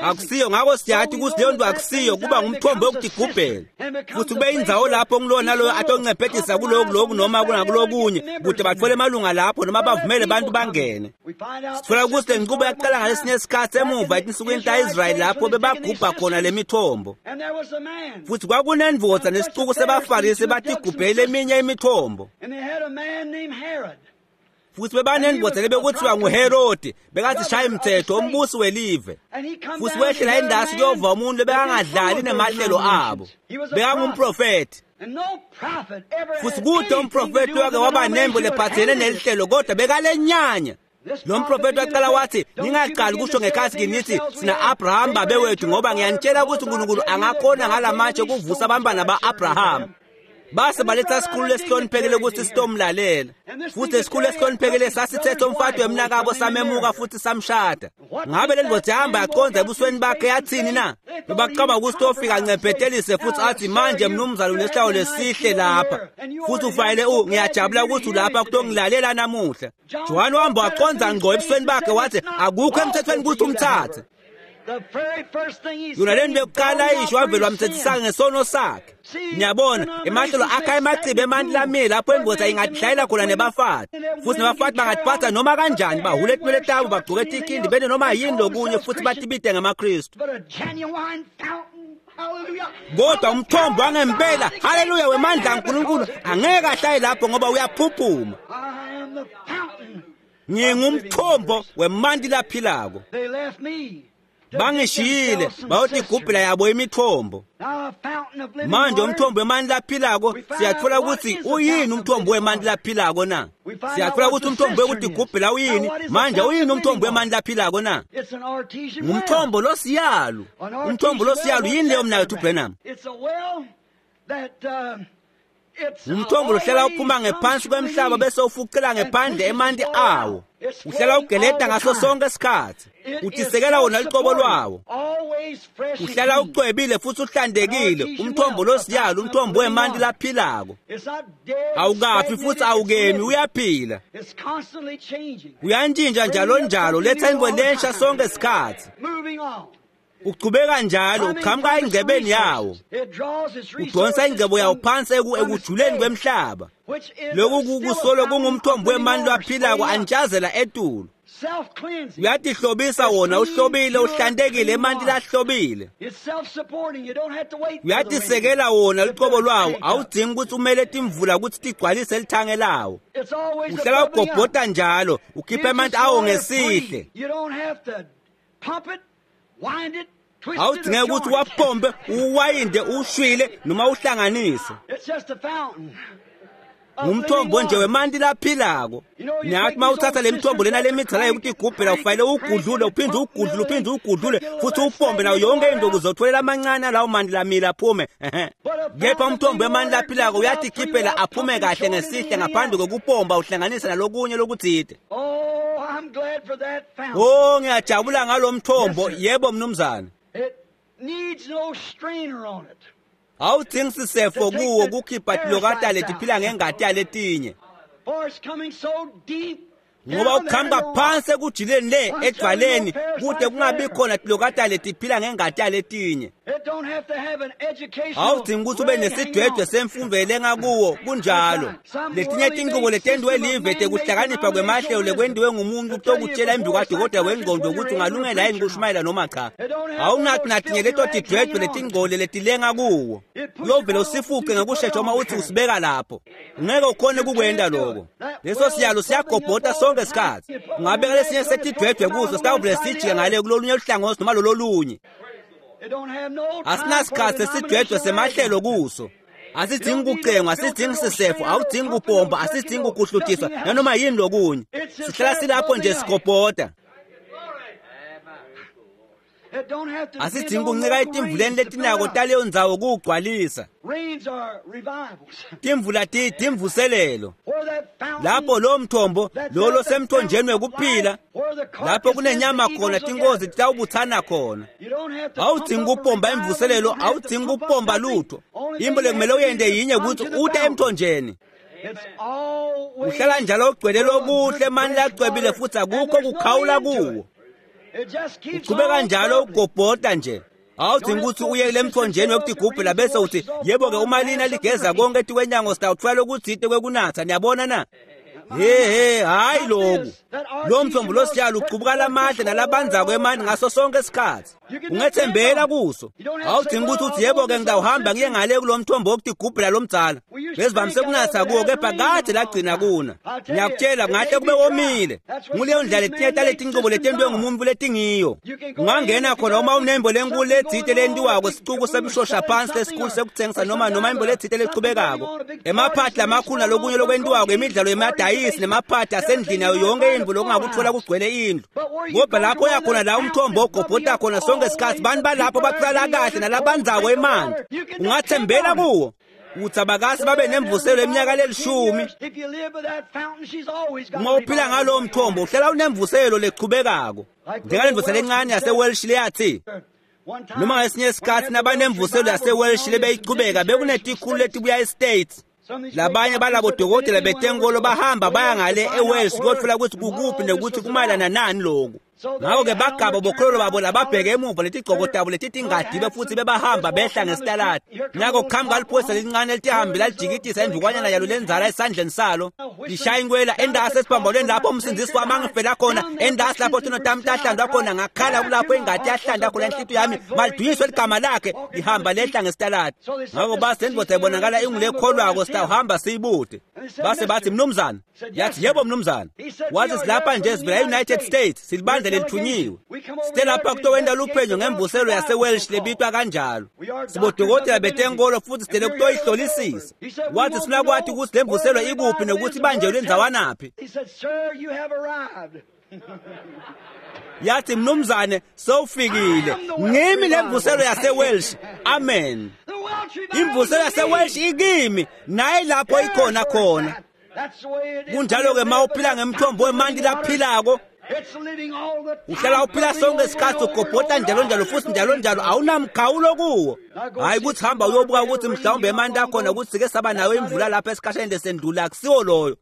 A: Akusiyo, ngakho siyathi ukuthi leyo nto akusiyo, kuba ngumthombo wokutigubhela futhi kube indzawo lapho ngilowo naloyo atoncebhedisa kuloku loku noma kunakulokunye kude batfole emalunga lapho noma bavumele abantu bangene. Sitfola ukuthi le nqubo yaqala ngalesinye isikhathi emuva etinsukwini ta-Israyeli lapho bebagubha khona le mithombo, futhi kwakunendvodza nesicuku sebaFarisi batigubhele eminye imithombo, futhi bebanendvodza lebekuthiwa nguHerodi, bekathi mthetho umbusi welive, futhi wehlela endasi kuyova umuntu lebekangadlali nemahlelo abo, bekangumprofethi. Futhi kude umprofethi wake waba nembo lephathelene nelihlelo, kodwa bekalenyanya. Lo mprofethi waqala wathi, ningaqali kusho ngekhathi kinithi sina Abraham babe wethu, ngoba ngiyanitshela ukuthi uNkulunkulu angakhona ngalamatshe ukuvusa abantwana ba-Abraham. Base baletha isikhulu lesihloniphekile ukuthi sitomlalela, futhi isikhulu esihloniphekile sasithethe umfati wemnakabo samemuka futhi samshada. Ngabe le ndvodza yahamba yaqonda ebusweni bakhe yathini na? Bebacaba ukuthi tofika ancebhetelise futhi athi, manje mnumzane unesihlalo lesihle lapha, futhi ufanele ngiyajabula ukuthi ulapha kutongilalela namuhla. Johane wahamba waqonda ngqo ebusweni bakhe wathi, akukho emthethweni ukuthi umthathe. Yona le nto yokuqala isho wavele wamthethisa ngesono sakhe. Niyabona, emahlelo akha emacibe emanti lamile lapho indvodza ingadlayela khona nebafati, futhi nebafati bangatiphatha noma kanjani, bahule etinwele tabo, bagcoke tikhindi, bene noma yini lokunye, futhi batibite ngamaKristu. Kodwa umthombo wangempela, haleluya, wemandla kaNkulunkulu angeke ahlale lapho ngoba uyaphuphuma. Ngingumthombo wemanti laphilako. Bangishiyile bayotigubhela yabo imithombo. Manje umthombo wemanti laphilako, siyatfola ukuthi uyini umthombo wemanti laphilako na? Siyatfola ukuthi umthombo wekutigubhela uyini. Manje uyini umthombo wemanti laphilako na? Ngumthombo losiyalu. Umthombo losiyalu yini leyo mnakethu Branham? Umthombo lohlala uphuma ngephansi kwemhlaba bese ufucela ngephandle emanti awo. Uhlala ugeleta ngaso sonke isikhathi, utisekela wona luqobo lwawo. Uhlala ucwebile futhi uhlantekile. Umthombo losiyalo, umthombo wemanti laphilako, awukafi futhi awukemi, uyaphila, uyantshintsha njalo njalo, letha intfo lensha sonke isikhathi. Uchubeka njalo, uqhamuka engcebeni yawo, udonsa ingcebo yawo phansi ekujuleni kwemhlaba. Lokhu kusolo kungumthombo wemanti laphilako antshazela etulu. Uyatihlobisa wona, uhlobile, uhlantekile, emanti lahlobile. Uyatisekela wona luqobo lwawo, awudzingi ukuthi umele timvula ukuthi tigcwalise lithange lawo. Uhlala ugobhota njalo, ukhipha emanti awo ngesihle. Awudingeki ukuthi uwapompe, uwayinde, ushwile noma uhlanganise. Ngumthombo nje wemanti laphilako. Niyathi uma uthatha le mithombo lena lemidala yokutigubhela, ufanele ugudlule, uphinde ugudlule, uphinde ugudlule futhi upompe nayo yonke into ukuze utholela amancane alawo manti lamile aphume. Kepha umthombo wemanti laphilako uyatikhiphela aphume kahle ngesihle ngaphandle kokupompa uhlanganise nalokunye lokuthide. Oh, ngiyajabula ngalo mthombo. Yebo mnumzane. Awudingi sisefo kuwo kukhipha tilokata letiphila ngengati yaletinye, ngoba ukuhamba phansi ekujuleni le edvwaleni kude kungabi khona tilokata letiphila ngengati yaletinye. Awudingi ukuthi ube nesidwedwe semfundo elenga kuwo. Kunjalo, letinye tinqubo letentiwe live tekuhlakanipha kwemahlelo lekwentiwe ngumuntu kutokutshela embi kwadokotela wengqondo ukuthi ungalungela yini kushumayela noma cha. Awunathi natinye leto tidwedwe letingcole letilenga kuwo, uyovele usifuce ngekushesha uma uthi usibeka lapho. Ngeke ukhone kukwenta lokho. Leso siyalo siyagobhota sonke isikhathi. Ungabeka lesinye setidwedwe kuso, sitawuvele sijike ngale kulolunye luhlangothi noma lololunye. Asinasikhathi sesidwedwe semahlelo kuso. Asidingi kucengwa, asidingi sisefo, awudingi kupompa, asidingi kuhlutiswa nanoma yini lokunye. Sihlala silapho nje sigobhota. Asidingi kuncika etimvuleni letinako taleyo ndzawo kuwugcwalisa. Timvula timvuselelo lapho lo mthombo lolo semthonjeni wekuphila, lapho kunenyama khona tinkozi titawubuthana khona. Awudingi kupompa imvuselelo, awudingi kupompa lutho. Into lekumele uyente yinye, ukuthi ute emthonjeni. Uhlala njalo ugcwele lokuhle emanti lacwebile futhi akukho kukhawula kuwo. Uchubeka njalo ugobhota nje. Awudingi ukuthi uye kule mthonjeni wekutigubhela bese uthi yebo-ke uma lina ligeza konke etikwenyango sitawuthola lokutsite kwekunatha. Niyabona na? He hayi loku. Lo mthombo losiyalo ucubuka lamahle nalabanzako emanti ngaso sonke isikhathi. Ungethembela kuso. Awudingi ukuthi uthi yebo-ke ngitawuhamba ngiye ngale kulo mthombo wokutigubhela lomdzala. Besivamise kunatha kuwo kepha kade lagcina kuna. Ngiyakutshela ngahle kube komile. Nguleyo ndlela letinye taletincubo letentiwe ngumuntu letingiyo. Ungangena khona uma unembo lenkulu letsite lentiwako sicuku semshosha phansi lesikhulu sekuthengisa noma imbo letsite lechubekako. Emaphathi lamakhulu nalokunye lokwentiwako imidlalo yemadayisi nemaphathi asendlini yayo yonke indlu lokungakuthola kugcwele indlu. Kodwa lapho uyakhona la umthombo ogobhota khona sonke isikhathi bantu balapho baqala kahle nalabanzako emanti. Ungathembela kuwo. Uthi abakasi babe nemvuselo eminyaka lelishumi. Uma uphila ngalowo mthombo uhlala unemvuselo lechubekako. Njengalendvuselo encane yaseWelsh leyathi noma ngesinye isikhathi nabanemvuselo yaseWelsh lebeyichubeka bekunetikhulu letibuya eStates. Labanye balabo dokotela betenkolo bahamba baya ngale eWales kuyothola ukuthi kukuphi nokuthi kumayelana nani lokhu. Ngakho-ke bagaba bokhololo babo lababheke emuva letigcoko tabo letitingadibe futhi bebahamba behla ngesitaladi. Nako kuqhamuka liphoyisa lelincane elitihambile lalijikitisa indukwanyana yalo lenzala esandleni salo. Lishaya inkwela endasi esiphambalweni lapho umsindisi wami angifela khona, endasi lapho tono tami tahlandwa khona, ngakhala kulapho ingadi yahlanda khona inhlitiyo yami, malidunyiswe ligama lakhe, lihamba lehla ngesitaladi. Ngakho base indoda ibonakala ingulekholwako sitawuhamba siyibude. Base bathi mnumzane, yathi yebo mnumzane. Wathi silapha nje sivela e-United States, silibandla lelithunyiwe. Site lapha kutowenta luphenyo ngemvuselo yaseWelsh lebitwa kanjalo. Sibodokotela betenkolo futhi sitele kutoyihlolisisa. Wathi sifuna kwathi ukuthi le mvuselo ikuphi nokuthi ibanjelwe ndzawanaphi. Yathi mnumzane sewufikile. Ngimi le mvuselo yaseWelsh. Amen. Imvuselo yaseWelsh ikimi naye lapho ikhona khona. Kunjalo-ke ma uphila ngemthombo wemanti laphilako uhlala uphila sonke isikhathi ugobhota njalo njalo futhi njalo njalo awunamkhawulo kuwo. Hhayi ukuthi hamba uyobuka ukuthi mhlawumbe emanti akhona ukuthi sike saba nayo imvula lapha esikhasheni lesendlula, akusiwo loyo.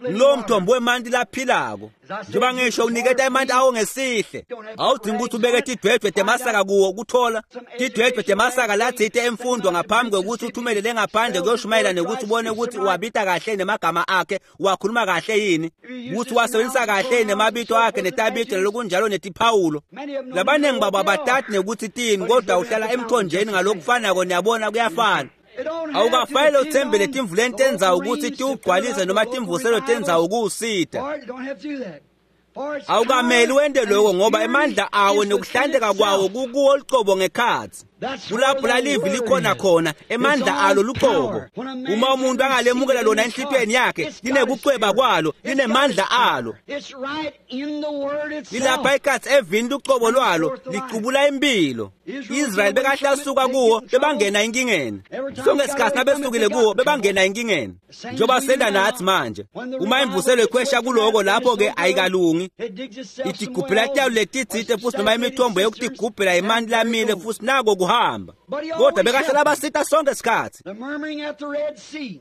A: Lowo mthombo wemanti laphilako njengoba ngisho uniketa emanti awo ngesihle. Awudingi ukuthi ubeke tidwedwe temasaka kuwo ukuthola tidwedwe temasaka latsite emfundo ngaphambi kwekuthi uthumelele ngaphandle kuyoshumayela nokuthi ubone ukuthi uwabita kahle nemagama akhe, uwakhuluma kahle yini, ukuthi uwasebenzisa kahle nemabito akhe netabito lokunjalo netiphawulo. Labaningi babo abatati nekuthi tini, kodwa uhlala emthonjeni ngalokufanako. Niyabona kuyafana. Awukafanele uthembele timvuleni tendzawo ukuthi tiwugcwalise noma timvuselo tendzawo kuwusita. Awukameli wente lokho ngoba emandla awo nokuhlanteka kwawo kukuwo lucobo ngekhatsi. Kulapho lalivi likhona khona emandla alo lucobo. Uma umuntu angalemukela lona enhlitiyweni yakhe, linekucweba kwalo, linemandla alo. Lilapha ikhatsi evini lucobo lwalo, licubula impilo. Israyeli bekahlasuka kuwo bebangena enkingeni. Sonke isikhathi nabesukile kuwo bebangena enkingeni. Njengoba senda nathi manje. Uma imvuselo ikhwesha kuloko lapho-ke ayikalungi. Itigubhela tayo letitsite futhi noma imithombo yokutigubhela emanti lamile futhi nako kuhamba. Kodwa bekahlala basita sonke isikhathi.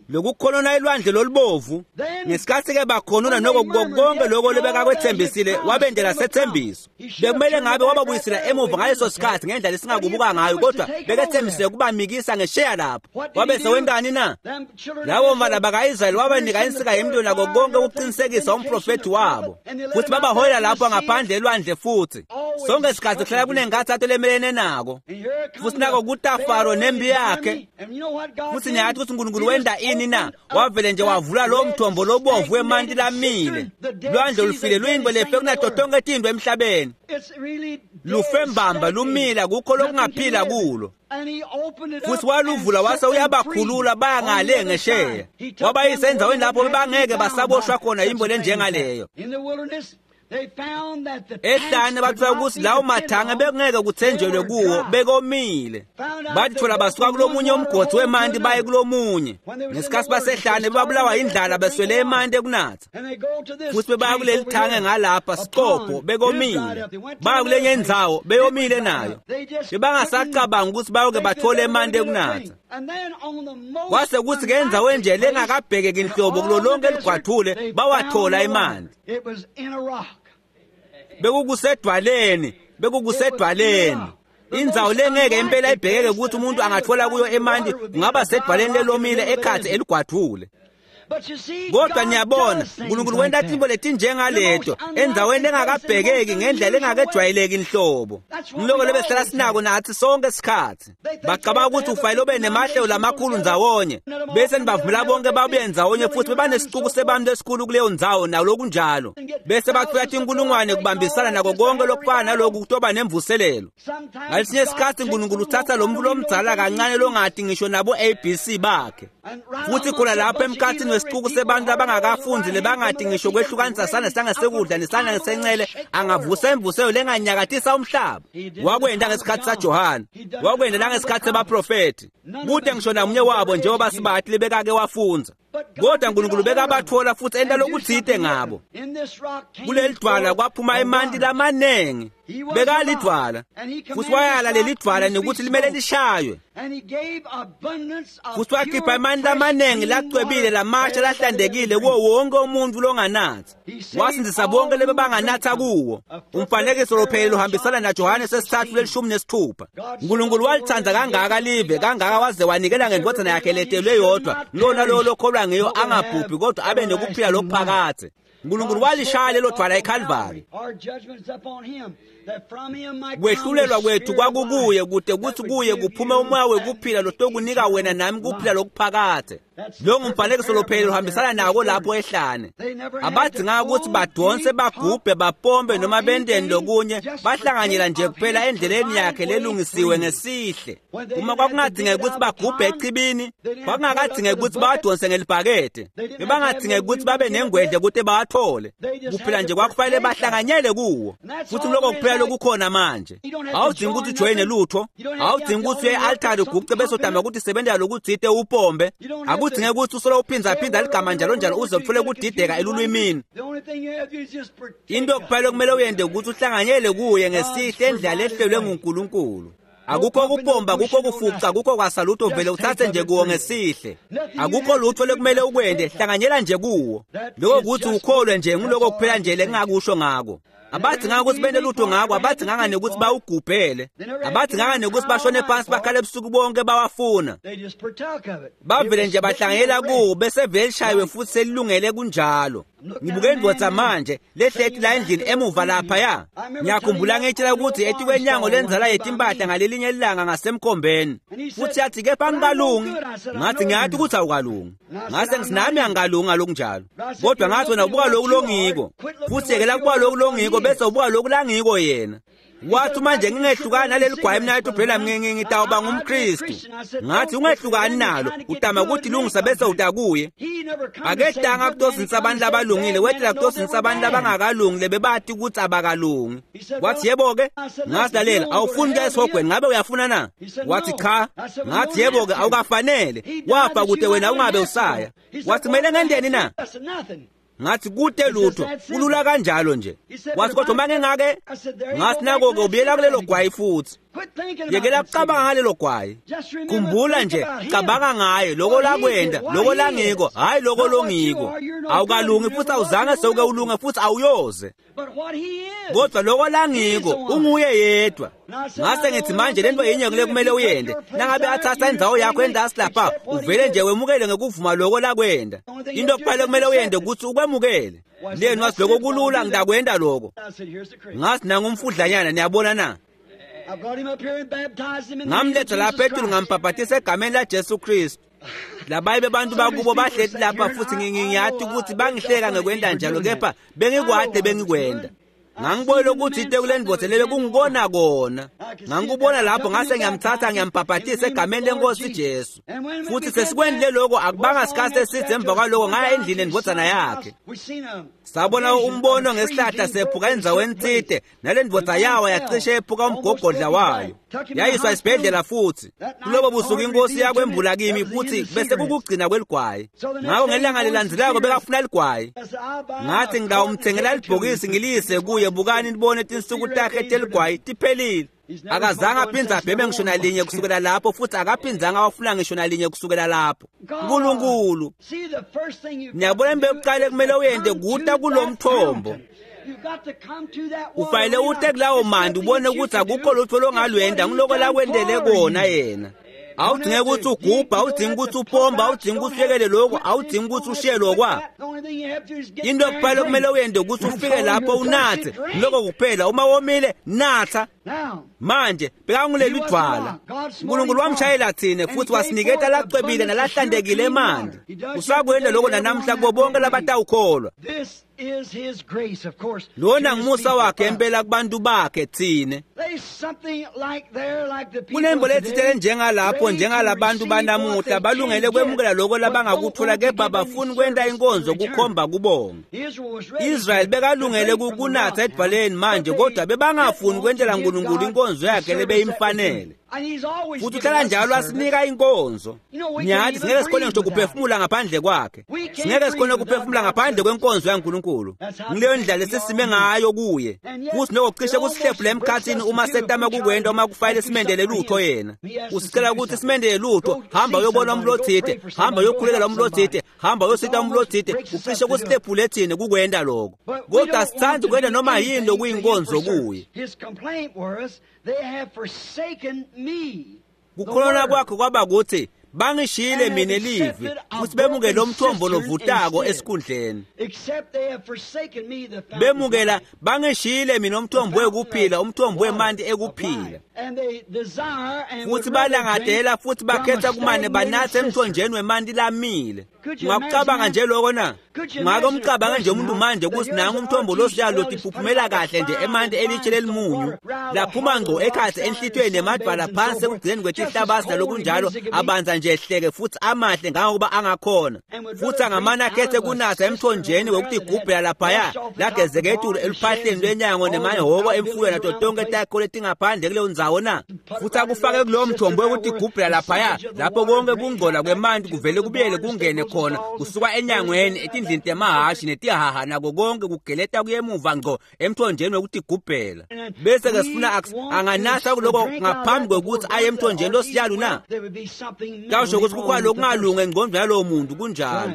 A: Lokukhonona elwandle lolubovu. Ngesikhathi-ke bakhonona noko konke lokho lebekakwethembisile wabendela sethembiso. Bekumele ngabe wababuyisela emuva ngaleso sikhathi ngendlela esingakubuka ngayo, kodwa bekethembisile ukubamikisa ngesheya lapho. Wabe sewentani na? Labo mfana baka-Israyeli wabanika insika yemlilo nako konke ukuqinisekisa umprofethi wabo. Futhi babaholela lapho ngaphandle elwandle futhi. Sonke isikhathi kuhlala kunenkathazo lemelene nako. Futhi nako kuta Faro nempi yakhe. Futhi niyathi ukuthi uNkulunkulu wenda ini na? Wavele nje wavula lo mthombo lobovu wemanti lamile. Lwandle lufile luyinto lefe kunato tonke tintfo emhlabeni. Lufe mbamba lumila kukho lokungaphila kulo. Futhi waluvula wase uyabakhulula baya ngale ngesheya. Wabayisa endzaweni lapho bebangeke basaboshwa khona yimbo lenjengaleyo. Ehlane bathola ukuthi lawo mathange bekungeke kuthenjelwe kuwo, bekomile. Bathola basuka kulomunye umgodi wemanti baye kulomunye. Ngesikhathi basehlane bebabulawa indlala beswele emanti ekunatha. Futhi bebaya kuleli thange ngalapha siqopho bekomile. Baya kulenye indzawo beyomile nayo. Bebangasacabanga ukuthi bayoke bathole emanti ekunatha. Kwase kuthi ke endzaweni nje lengakabhekeki nhlobo kulo lonke ligwathule bawathola emanti. Bekukusedwaleni, bekukusedwaleni. Indzawo lengeke impela ibhekeke ukuthi umuntu angathola kuyo emanti kungaba sedwaleni lelomile ekhatsi eligwadvule. Kodwa niyabona, uNkulunkulu wenta tintfo letinjengaleto endzaweni lengakabhekeki ngendlela lengakejwayeleki inhlobo. Ngiloko lebesihlala sinako nathi sonke isikhatsi. Bacabanga ukuthi ufanele ube nemahlelo lamakhulu ndzawonye, bese nibavumela bonke babuye ndzawonye futhi bebanesicuku sebantu esikhulu kuleyo ndzawo nalokunjalo. Bese batfola tinkulungwane kubambisana nako konke lokufana naloku kutoba nemvuselelo. Ngalesinye isikhatsi uNkulunkulu uthatha lo muntu lomdzala kancane longati ngisho nabo ABC bakhe. Futhi khona lapho emkhathini wesicuku sebantu abangakafundi lebangati ngisho kwehlukanisa sandla sangesekudla nesandla ngesencele, angavusa imvuselo lenganyakatisa umhlaba. Wakwenta ngesikhathi saJohane, wakwenta nangesikhathi sebaprofethi. Kute ngisho namunye wabo njengoba sibathi lebekake wafundza. Kodwa uNkulunkulu bekabatfola futhi enta lokutsite ngabo. Kuleli dvwala kwaphuma emanti lamanengi. Bekalidvwala futhi wayala leli dvwala nekuthi limele lishaywe. Futhi wakhipha emanti lamanengi lacwebile lamasha lahlantekile kuwo wonke umuntu longanatsi. Wasindzisa bonke lebebanganatsa kuwo. Umfanekiso lophelele uhambisana naJohane sesithathu lelishumi nesithupha. uNkulunkulu walithanda kangaka live kangaka waze wanikela ngendvodzana yakhe letelwe yodwa, lona lowo lokholwa ngiyo angabhubhi kodwa abe nekuphila lokuphakadze. uNkulunkulu walishaya lelo dvwala eKalvari. Kwehlulelwa kwethu kwakukuye kute kutsi kuye kuphume umoya wekuphila lotokunika wena nami kuphila lokuphakadze. Lo ngumfanekiso lophelele uhambisana nako lapho ehlane. Abadzinganga ukuthi badonse, bagubhe, bapompe noma benteni lokunye, bahlanganyela nje kuphela endleleni yakhe lelungisiwe ngesihle. Uma kwakungadingeki ukuthi bagubhe echibini, kwakungakadingeki ukuthi bawadonse ngelibhakede, bebangadingeki ukuthi babe nengwedle kute bawathole. Kuphela nje kwakufanele bahlanganyele kuwo. Futhi lokho kuphela lokukhona manje. Awudingi ukuthi ujoyine lutho, awudingi ukuthi uye e-altari uguce bese udama ukuthi sebenzela lokutsite upombe. Akudingeki ukuthi usolo uphindaphinda ligama njalo njalo uze uthole kudideka elulwimini. Into kuphela okumele uyende ukuthi uhlanganyele kuye ngesihle endlela lehlelwe nguNkulunkulu. Akukho kupomba, akukho kufuca, akukho kwasalutho, vele uthathe nje kuwo ngesihle. Akukho lutho lekumele ukwende, hlanganyela nje kuwo. Lokho kuthi ukholwe nje, nguloko kuphela nje lengingakusho ngako. Abadzinganga ukuthi bente lutho ngako, abadzinganga nekuthi bawugubhele, abadzinganga nekuthi bashone phansi bakhale ebusuku bonke bawafuna. Bavele nje bahlanganyela kuwo bese vele lishayiwe futhi selilungele kunjalo. Ngibuke indvodza manje lehleti la endlini emuva laphaya. Ngiyakhumbula ngitshela ukuthi etikwenyango lenzala yetimpahla ngalelinye ilanga ngasemkhombeni. Futhi yathi kepha angikalungi. Ngathi ngiyathi ukuthi awukalungi. Ngase ngithi nami angikalungi ngalokunjalo. Kodwa ngathi wena ubuka lokhu longiko. Futhi yekela kubuka lokhu longiko bese ubuka lokhu langiko yena. Wathi manje ngingehlukani naleli gwayi mina ethi phela ngitawuba ngumKristu. Ngathi ungehlukani nalo, utama ukuthi lungisa bese utakuye. Akedanga kutosinisa abantu abalungile, wetela kutosinisa abantu abangakalungi lebebathi ukuthi abakalungi. Wathi yebo ke, ngathi lalela, awufuni kuya esihogweni, ngabe uyafuna na? Wathi cha. Ngathi yebo ke, awukafanele. Wafa kude wena ungabe usaya. Wathi kumele ngendeni na? Ngathi kute lutho, kulula kanjalo nje. Wathi kodwa uma ngingake, ngathi nako-ke ubuyela kulelo gwayi futhi. Yekela kucabanga ngalelo gwayi. Khumbula nje, cabanga ngaye, loko lakwenda, loko langiko, hhayi loko longiko. Awukalungi futhi awuzange sewuke ulunge futhi awuyoze. Kodwa loko langiko, unguye yedwa. Ngase ngithi manje lento yinye kule kumele uyende. Nangabe athatha indzawo yakho endasi lapha, uvele nje wemukele ngekuvuma loko lakwenda. Into kuphela kumele uyende ukuthi ukwemukele. Leni wathi loko kulula, ngitakwenda loko. Ngathi nangumfudlanyana, niyabona na? Ngamletha lapha etulu ngambhabhatisa egameni laJesu Kristu. Labaye bebantu bakubo bahleti lapha futhi ngiyathi ukuthi bangihleka ngekwenda njalo, kepha bengikwade bengikwenda. Ngangibona ukuthi ite kule ndvodza lebe kungikona kona. Ngangikubona lapho ngase ngiyamthatha ngiyambhabhatisa egameni lenkosi Jesu. Futhi sesikwendile lokho, akubanga sikhathi eside emva kwaloko ngaya endlini endvodzana yakhe. Sabona umbono ngesihlahla sephuka endzaweni tsite, nale ndvodza yawa yacishe ephuka umgogodla wayo. Yayiswa esibhedlela futhi. Kulobo busuku inkosi yakwembula kimi futhi bese kukugcina kweligwayi. Ngakho ngelanga lelandzelako bekafuna ligwayi. Ngathi ngitawumthengela libhokisi ngiliyise kuye, bukani nibone tinsuku takhe teligwayi tiphelile. Akazange aphindze abheme ngisho nalinye kusukela lapho, futhi akaphindzanga awafuna ngisho nalinye kusukela lapho. Nkulunkulu, niyabona into yokuqala ekumele uyende kuta kulo mthombo. Ufanele ute kulawo manti ubone ukuthi akukho lutho longalwenda ngiloko lakwendele kona yena. Awudinge ukuthi ugubha, awudingi ukuthi upomba, awudingi ukuthi uyekele lokhu, awudingi ukuthi ushiye lokwa. Into kuphela okumele uyende ukuthi ufike lapho unathe, lokho kuphela. Uma womile, natha. Manje bekanguleli dwala. uNkulunkulu wamshayela thina futhi wasiniketa lacwebile nalahlantekile emanti. Usakwenda lokho nanamhla kubo bonke labatawukholwa. Lona ngumusa wakhe empela kubantu bakhe thina. Kunembo lethitele njengalapho njengalabantu banamuhla balungele kwemukela lokho labangakuthola kepha bafuni kwenta inkonzo kukhomba kubonga. Israel bekalungele kunatha edwaleni manje kodwa bebangafuni kwentela uNkulunkulu inkonzo yakhe lebeyimfanele. Futhi uhlala njalo asinika inkonzo. Ngiyathi singeke sikhone ngisho kuphefumula ngaphandle kwakhe. Singeke sikhone kuphefumula ngaphandle kwenkonzo yaNkulunkulu. Ngileyo ndlela esisime ngayo kuye. Futhi nokucishe kusihlephule emkhathini uma setama kukwenda uma kufanele simendele lutho yena. Usicela ukuthi simendele lutho, hamba uyobona umuntu othile, hamba uyokhulekela umuntu othile, hamba uyosita umuntu othile, ucishe kusihlephule thina kukwenda lokho. Kodwa sithanda ukwenda noma yini lokuyinkonzo kuye. Kukhulona kwakho kwaba ukuthi bangishiyile mina livi futhi bemukele umthombo lovutako esikhundleni. Bemukela bangishiyile mina umthombo wekuphila, umthombo wemanti ekuphila. Futhi balangadela futhi bakhetha kumane banathe emthonjeni wemanti lamile. Ungakucabanga nje lokho na? Ungake umcabange nje umuntu manje ukuthi nangu umthombo losiyalo lotiphuphumela kahle nje emanti elitshe lelimunyu laphuma ngco ekhathi enhlitweni nemadwala phansi ekugcineni kwetihlabasi nalokunjalo abanza nje ehleke futhi amahle ngangokuba angakhona. Futhi angamane akhethe kunatha emthonjeni wokutigubhela laphaya lagezeke etulu eluphahleni lwenyango nemahhoko emfuyo nato tonke takho letingaphandle kuleyo ndzawo na. Futhi akufake kulowo mthombo wokutigubhela laphaya lapho konke kungcola kwemanti kuvele kubuyele kungene khona kusuka enyangweni etindlini temahashi netihaha nako konke kugeleta kuyemuva ngco emthonjeni wokutigubhela. Bese ke sifuna anganatha kuloko ngaphambi kwekuthi aye emthonjeni losiyalu na. Kawusho ukuthi kukhona lokungalungi engqondweni yalowo muntu kunjalo.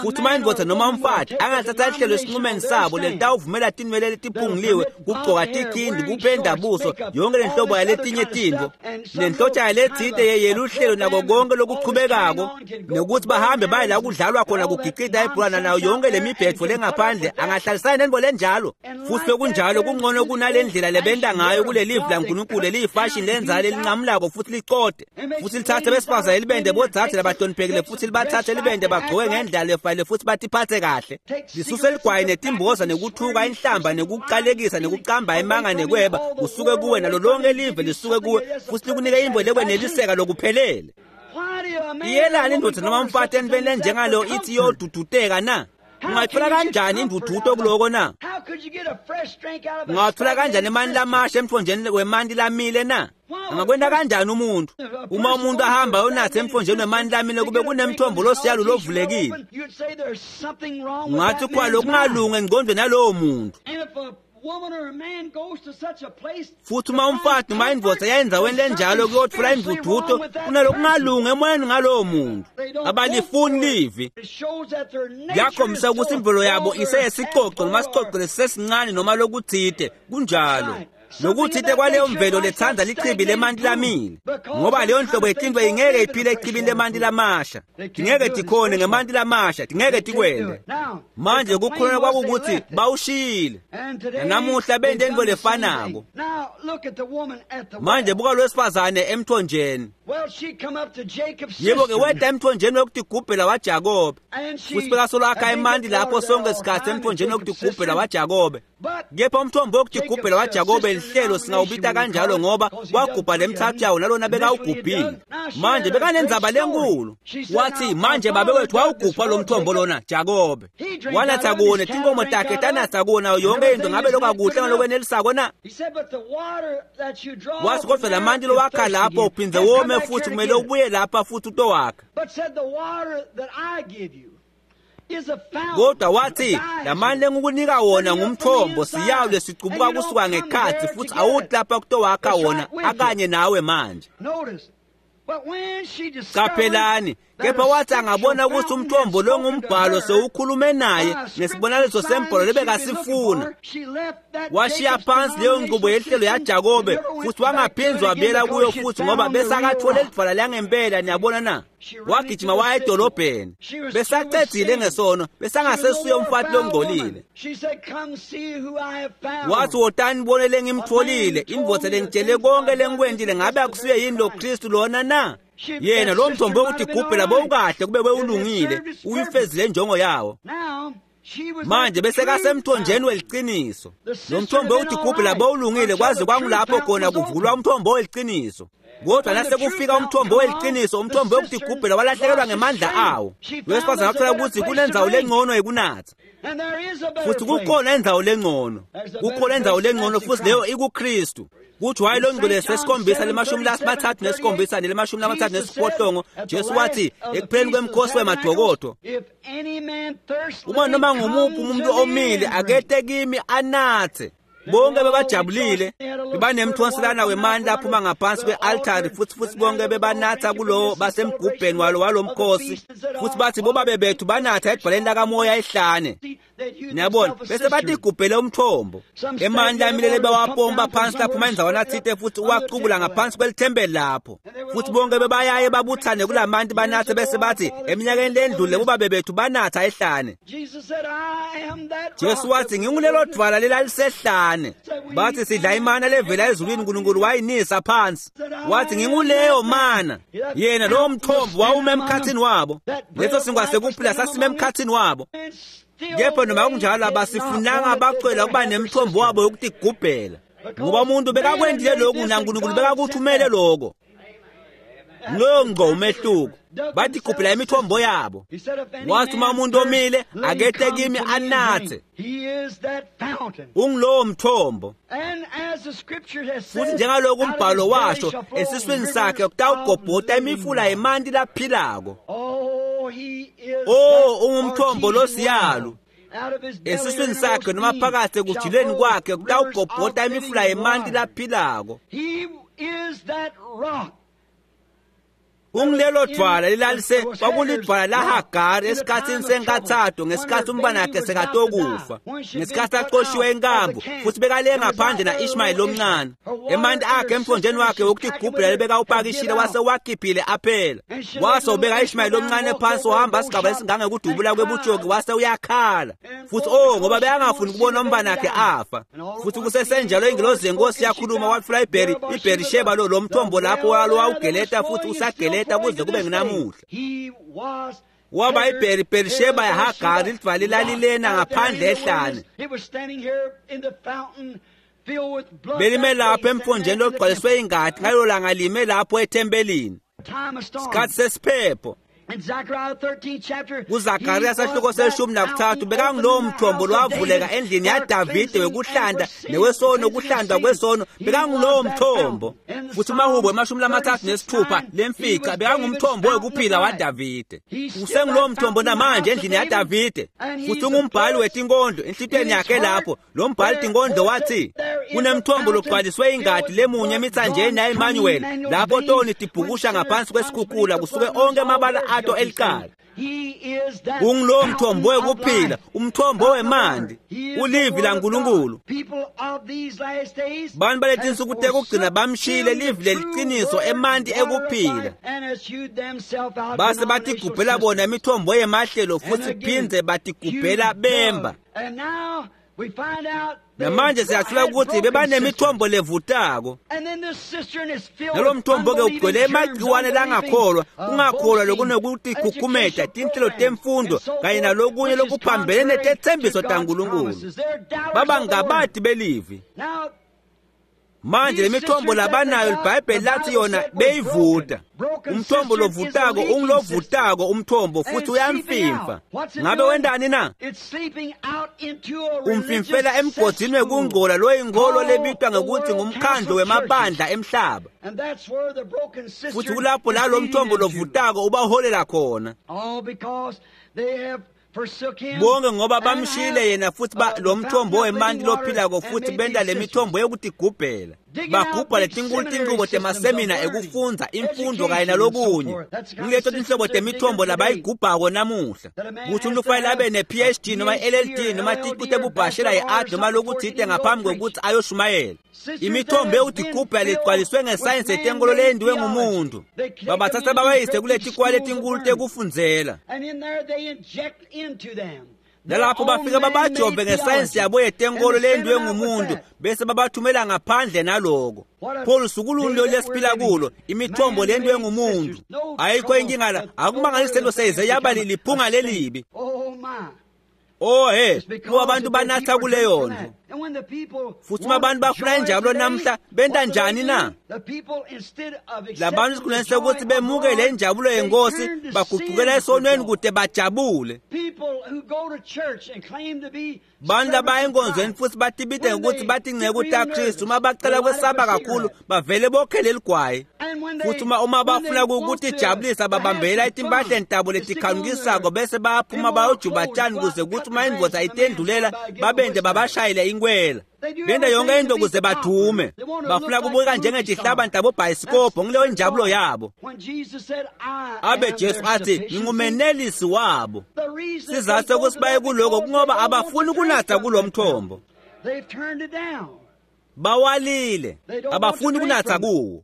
A: Futhi uma indvodza noma umfati angathatha lihlelo esinqumeni sabo lelitawuvumela tinwele letiphunguliwe kugcoka tikhindi kupenda buso yonke lenhlobo yaletinye tintfo nenhlotshana letsite yeluhlelo nako konke lokuchubekako nekuthi bahambe baye la kudlalwa khona kugicita ibhola nayo yonke lemibhetfo lengaphandle angahlalisani nentfo lenjalo. Futhi lokunjalo kungcono kunale ndlela lebenta ngayo kulelivi laNkulunkulu eliyifashini lenzala lelinqamulako futhi licode futhi lithathe besifazane libende bodzadze labahloniphekile futhi libathathe libende bagcoke ngendlela lefanele futhi batiphathe kahle. Lisuse ligwayi netimboza nekuthuka inhlamba nekuqalekisa nekuqamba imanga nekweba kusuke kuwe nalo lonke live lisuke kuwe futhi likunike imbo lekweneliseka lokuphelele. Iyelani indvodza noma umfati entweni lenjengalo ithi iyoduduteka na? Ungathola kanjani indududo kuloko na? Ungathola kanjani emanti lamasha emthonjeni wemanti lamile na? Angakwenda kanjani umuntu? Uma umuntu ahamba ayonatha emthonjeni wemanti lamile kube kunemthombo losiyalu lovulekile. Ungathi kwa lokungalungi engqondweni yalowo muntu. Futhi uma umfati noma indvodza yayendzaweni lenjalo kuyotfola indududo kunalokungalungi emoyeni ngalowo muntu. Abalifuni livi. Kuyakhombisa ukuthi imvelo yabo iseyesicoco noma sicoco lesisesincane noma lokuthite kunjalo. Nokuthite kwaleyo mvelo letsandza lichibi lemanti lamile ngoba leyo nhlobo yetintfo ingeke iphile echibini lemanti lamasha. Tingeke tikhone ngemanti lamasha, tingeke tikwende. Manje kukhuluma kwakukuthi bawushiyile. Nanamuhla bente intfo lefanako. Manje buka lowesifazane emthonjeni. Yebo-ke weta emthonjeni wekutigubhela waJakobe. Futhi bekasolo akha emanti lapho sonke sikhathi emthonjeni wekutigubhela waJakobe. Kepha umthombo wekutigubhela waJakobe lihlelo singawubita kanjalo ngoba wagubha lemthathu yawo nalona bekawugubhile. Manje bekanendzaba lenkulu. Wathi manje babe wethu wawugubha lo mthombo lona Jakobe. Wanatha kuwona tinkomo takhe tanatha kuwona yonke into ngabe lokakuhle ngalokwenelisako na? Wathi kodwa lamanti lowakha lapho uphindze wome futhi kumele ubuye lapha futhi utowakha. Kodwa wathi lamanti lengikunika wona ngumthombo siyawu lesicubuka kusuka ngekhatsi futhi awuthi lapha kutowakha wona akanye nawe manje. Qaphelani, Kepha wathi angabona ukuthi umthombo lo ngumbhalo sewukhulume naye ngesibonakaliso sembhalo lebekasifuna, washiya phansi leyo nqubo yehlelo yaJakobe futhi wangaphindzi wabuyela kuyo futhi, ngoba besakathole lidvwala langempela. Niyabona na? Wagijima waya edolobheni, besacedzile ngesono, besangasesuye umfati longcolile. Wathi, wotani nibone lengimtfolile, indvodza lengitshele konke lengikwentile, ngabe akusuye yini lo Kristu lona na? Yena lo mthombo wokutigubhela bowukahle kube bewulungile, uyifezile injongo yawo. Manje besekasemthonjeni weliciniso. Lo mthombo wokutigubhela bowulungile kwaze kwangulapho khona kuvulwa umthombo weliciniso. Kodwa nasekufika umthombo weliciniso, umthombo wokutigubhela walahlekelwa ngemandla awo. Wesifazane wathola ukuthi kunendzawo lengcono yekunatha, futhi kukhona indzawo lengcono, kukhona indzawo lengcono, futhi leyo ikuKristu. Kuthi waye longcwele sesikhombisa le-37 nele-38, Jesu wathi ekupheleni kwemkhosi wemadokodo, uma noma ngumuphi umuntu omile akete kimi anathe. Bonke bebajabulile, bebanemthonselana wemandla aphuma ngaphansi kwe-altari, futhi bonke bebanatha kulowo basemgubheni walo walomkhosi, futhi bathi bobabe bethu banatha edwaleni lakamoya ehlane. Niyabona, bese batigubhele umthombo. Emandla amile bewapompa phansi laphuma endzaweni athite futhi uwacubula ngaphansi kwelithempeli lapho. Futhi bonke bebayaye babuthane kulamanti banathe, bese bathi eminyakeni lendlule bobabe bethu banatha ehlane. Jesu wathi, ngingulelo dvwala lelalisehlane. Bathi sidla imana levela ezulwini, uNkulunkulu wayinisa phansi. Wathi nginguleyo mana. Yena lowo mthombo wawuma emkhathini wabo. Leso sinkwa sekuphila sasime emkhathini wabo. Kepha noma kunjalo abasifunanga bacela ukuba nemthombo wabo yokutigubhela, ngoba umuntu bekakwendile lokhu naNkulunkulu bekakuthumele lokho. Loyo ngqo umehluko. Batigubhela imithombo yabo. Wathi uma umuntu omile akete kimi anathe. Ungulowo mthombo. Futhi njengalokhu umbhalo washo, esiswini sakhe kutawugobhota imifula yemanti laphilako. Oh, ungumthombo losiyalu. Esiswini sakhe noma phakathi ekujuleni kwakhe kutawugobhota imifula yemanti laphilako. Ungilelo dvwala lelalise kwakulidvwala laHagari esikhatsini senkathatho, ngesikhathi umntwanakhe sekatokufa, ngesikhathi axoshiwe enkambu, futhi bekale ngaphandle na-Ishmayeli lomncane. Emanti akhe emthonjeni wakhe wokutigubhela lebekawupakishile wase wakhiphile aphela. Wase ubeka Ishmayeli lomncane phansi, wahamba sigaba esingangekudubula kwebutshoki, wase uyakhala. Futhi oh, ngoba bekangafuni ukubona umntwanakhe afa. Futhi kusesenjalo ingilozi yenkosi yakhuluma, watfula iBherisheba lo mthombo lapho wawugeleta futhi usageleta kuze kube nginamuhla. Waba iBherisheba yaHagari, lidvwala lalilena ngaphandle ehlane. Belime lapho emthonjeni logcwaliswe ingadi, ngalelo langa lime lapho ethempelini. Sikhathi sesiphepho. KuZakariya sahluko se-13 bekangulowo mthombo lowavuleka endlini yaDavide wekuhlanda newesono, kuhlandwa kwesono, bekangulowo mthombo. Futhi umahubo 36 lemfica bekangumthombo wekuphila waDavide. Usengulowo mthombo namanje endlini yaDavide. Futhi ungumbhali wetinkondlo enhlitiyweni yakhe lapho. Lo mbhali tinkondlo wathi kunemthombo logcwaliswe ingadi lemunye emithanjeni ya-Emmanuel, lapho toni tibhukusha ngaphansi kwesikhukhula kusuke onke amabala ato eliqala. Ungulowo mthombo wekuphila, umthombo wemanti, ulivi laNkulunkulu. Bantu baletinsuku tekugcina bamshiyile livi leliciniso emanti ekuphila, base batigubhela bona imithombo yemahlelo futhi phindze batigubhela bemba. Namanje siyathola ukuthi bebanemithombo levutako. Nalo mthombo-ke ugcwele emagciwane langakholwa, kungakholwa lokunekutikhukhumeta, tinhlelo temfundo kanye nalokunye lokuphambene netethembiso taNkulunkulu. Baba ngabati belivi. Manje lemithombo labanayo iBhayibheli lathi yona beyivuta. Umthombo lovutako ungulovutako umthombo futhi uyamfimfa. Ngabe wendani na? Umfimfela emgodini wekungcola loyinkolo lebitwa ngekuthi ngumkhandlu wemabandla emhlaba. Futhi kulapho la lo mthombo lovutako ubaholela khona. Bonke ngoba bamshiyile yena futhi lo mthombo wemanti lophilako futhi benta le mithombo yokutigubhela. Bagubha letinkulu tinqubo temasemina ekufundza imfundo kanye nalokunye. Ngileto tinhlobo temithombo labayigubhako namuhla. Kutsi umuntu kufanele abe ne-PhD noma i-LLD noma ticu tebubhashela ye-art noma lokutsite ngaphambi kwekutsi ayoshumayela. Imithombo yekutigubha legcwaliswe ngesayensi yetenkolo leyendiwe ngumuntu. Babatsatsa babayise kuletikwala letinkulu tekufundzela. Nalapho bafika babajove ngesayensi yabo yetenkolo leyendiwe ngumuntu bese babathumela ngaphandle naloko. Pho lusuku luni lolu lesiphila kulo, imithombo leyendiwe ngumuntu. Ayikho inkinga la, akumangalisi lento seyize yaba liphunga lelibi. Oh he, kuba abantu banatha kuleyo nto. Futhi uma abantu bafuna injabulo namhla, benta njani na? Labantu esikhundleni sekuthi bemukele injabulo yenkosi, baguqukela esonweni kude bajabule. Bantu labaya enkonzweni futhi batibite ngokuthi batinceku taKristu, uma bacela kwesaba kakhulu, bavele bokhele ligwayi. Futhi uma bafuna ukutijabulisa, babambela etimpahleni tabo letikhanukisako bese bayaphuma bayojuba tshani kuze kuthi uma indvodza itendulela babende babashayele inkwela. Benta yonke into kuze badume. Bafuna kubukeka njengetihlabani tabobhayisikobho, ngileyo injabulo yabo. Abe Jesu athi, ngingumenelisi wabo. Sizathu sokuthi baye kuloko kungoba abafuni ukunatha kulo mthombo. Bawalile, abafuni kunatha kuwo.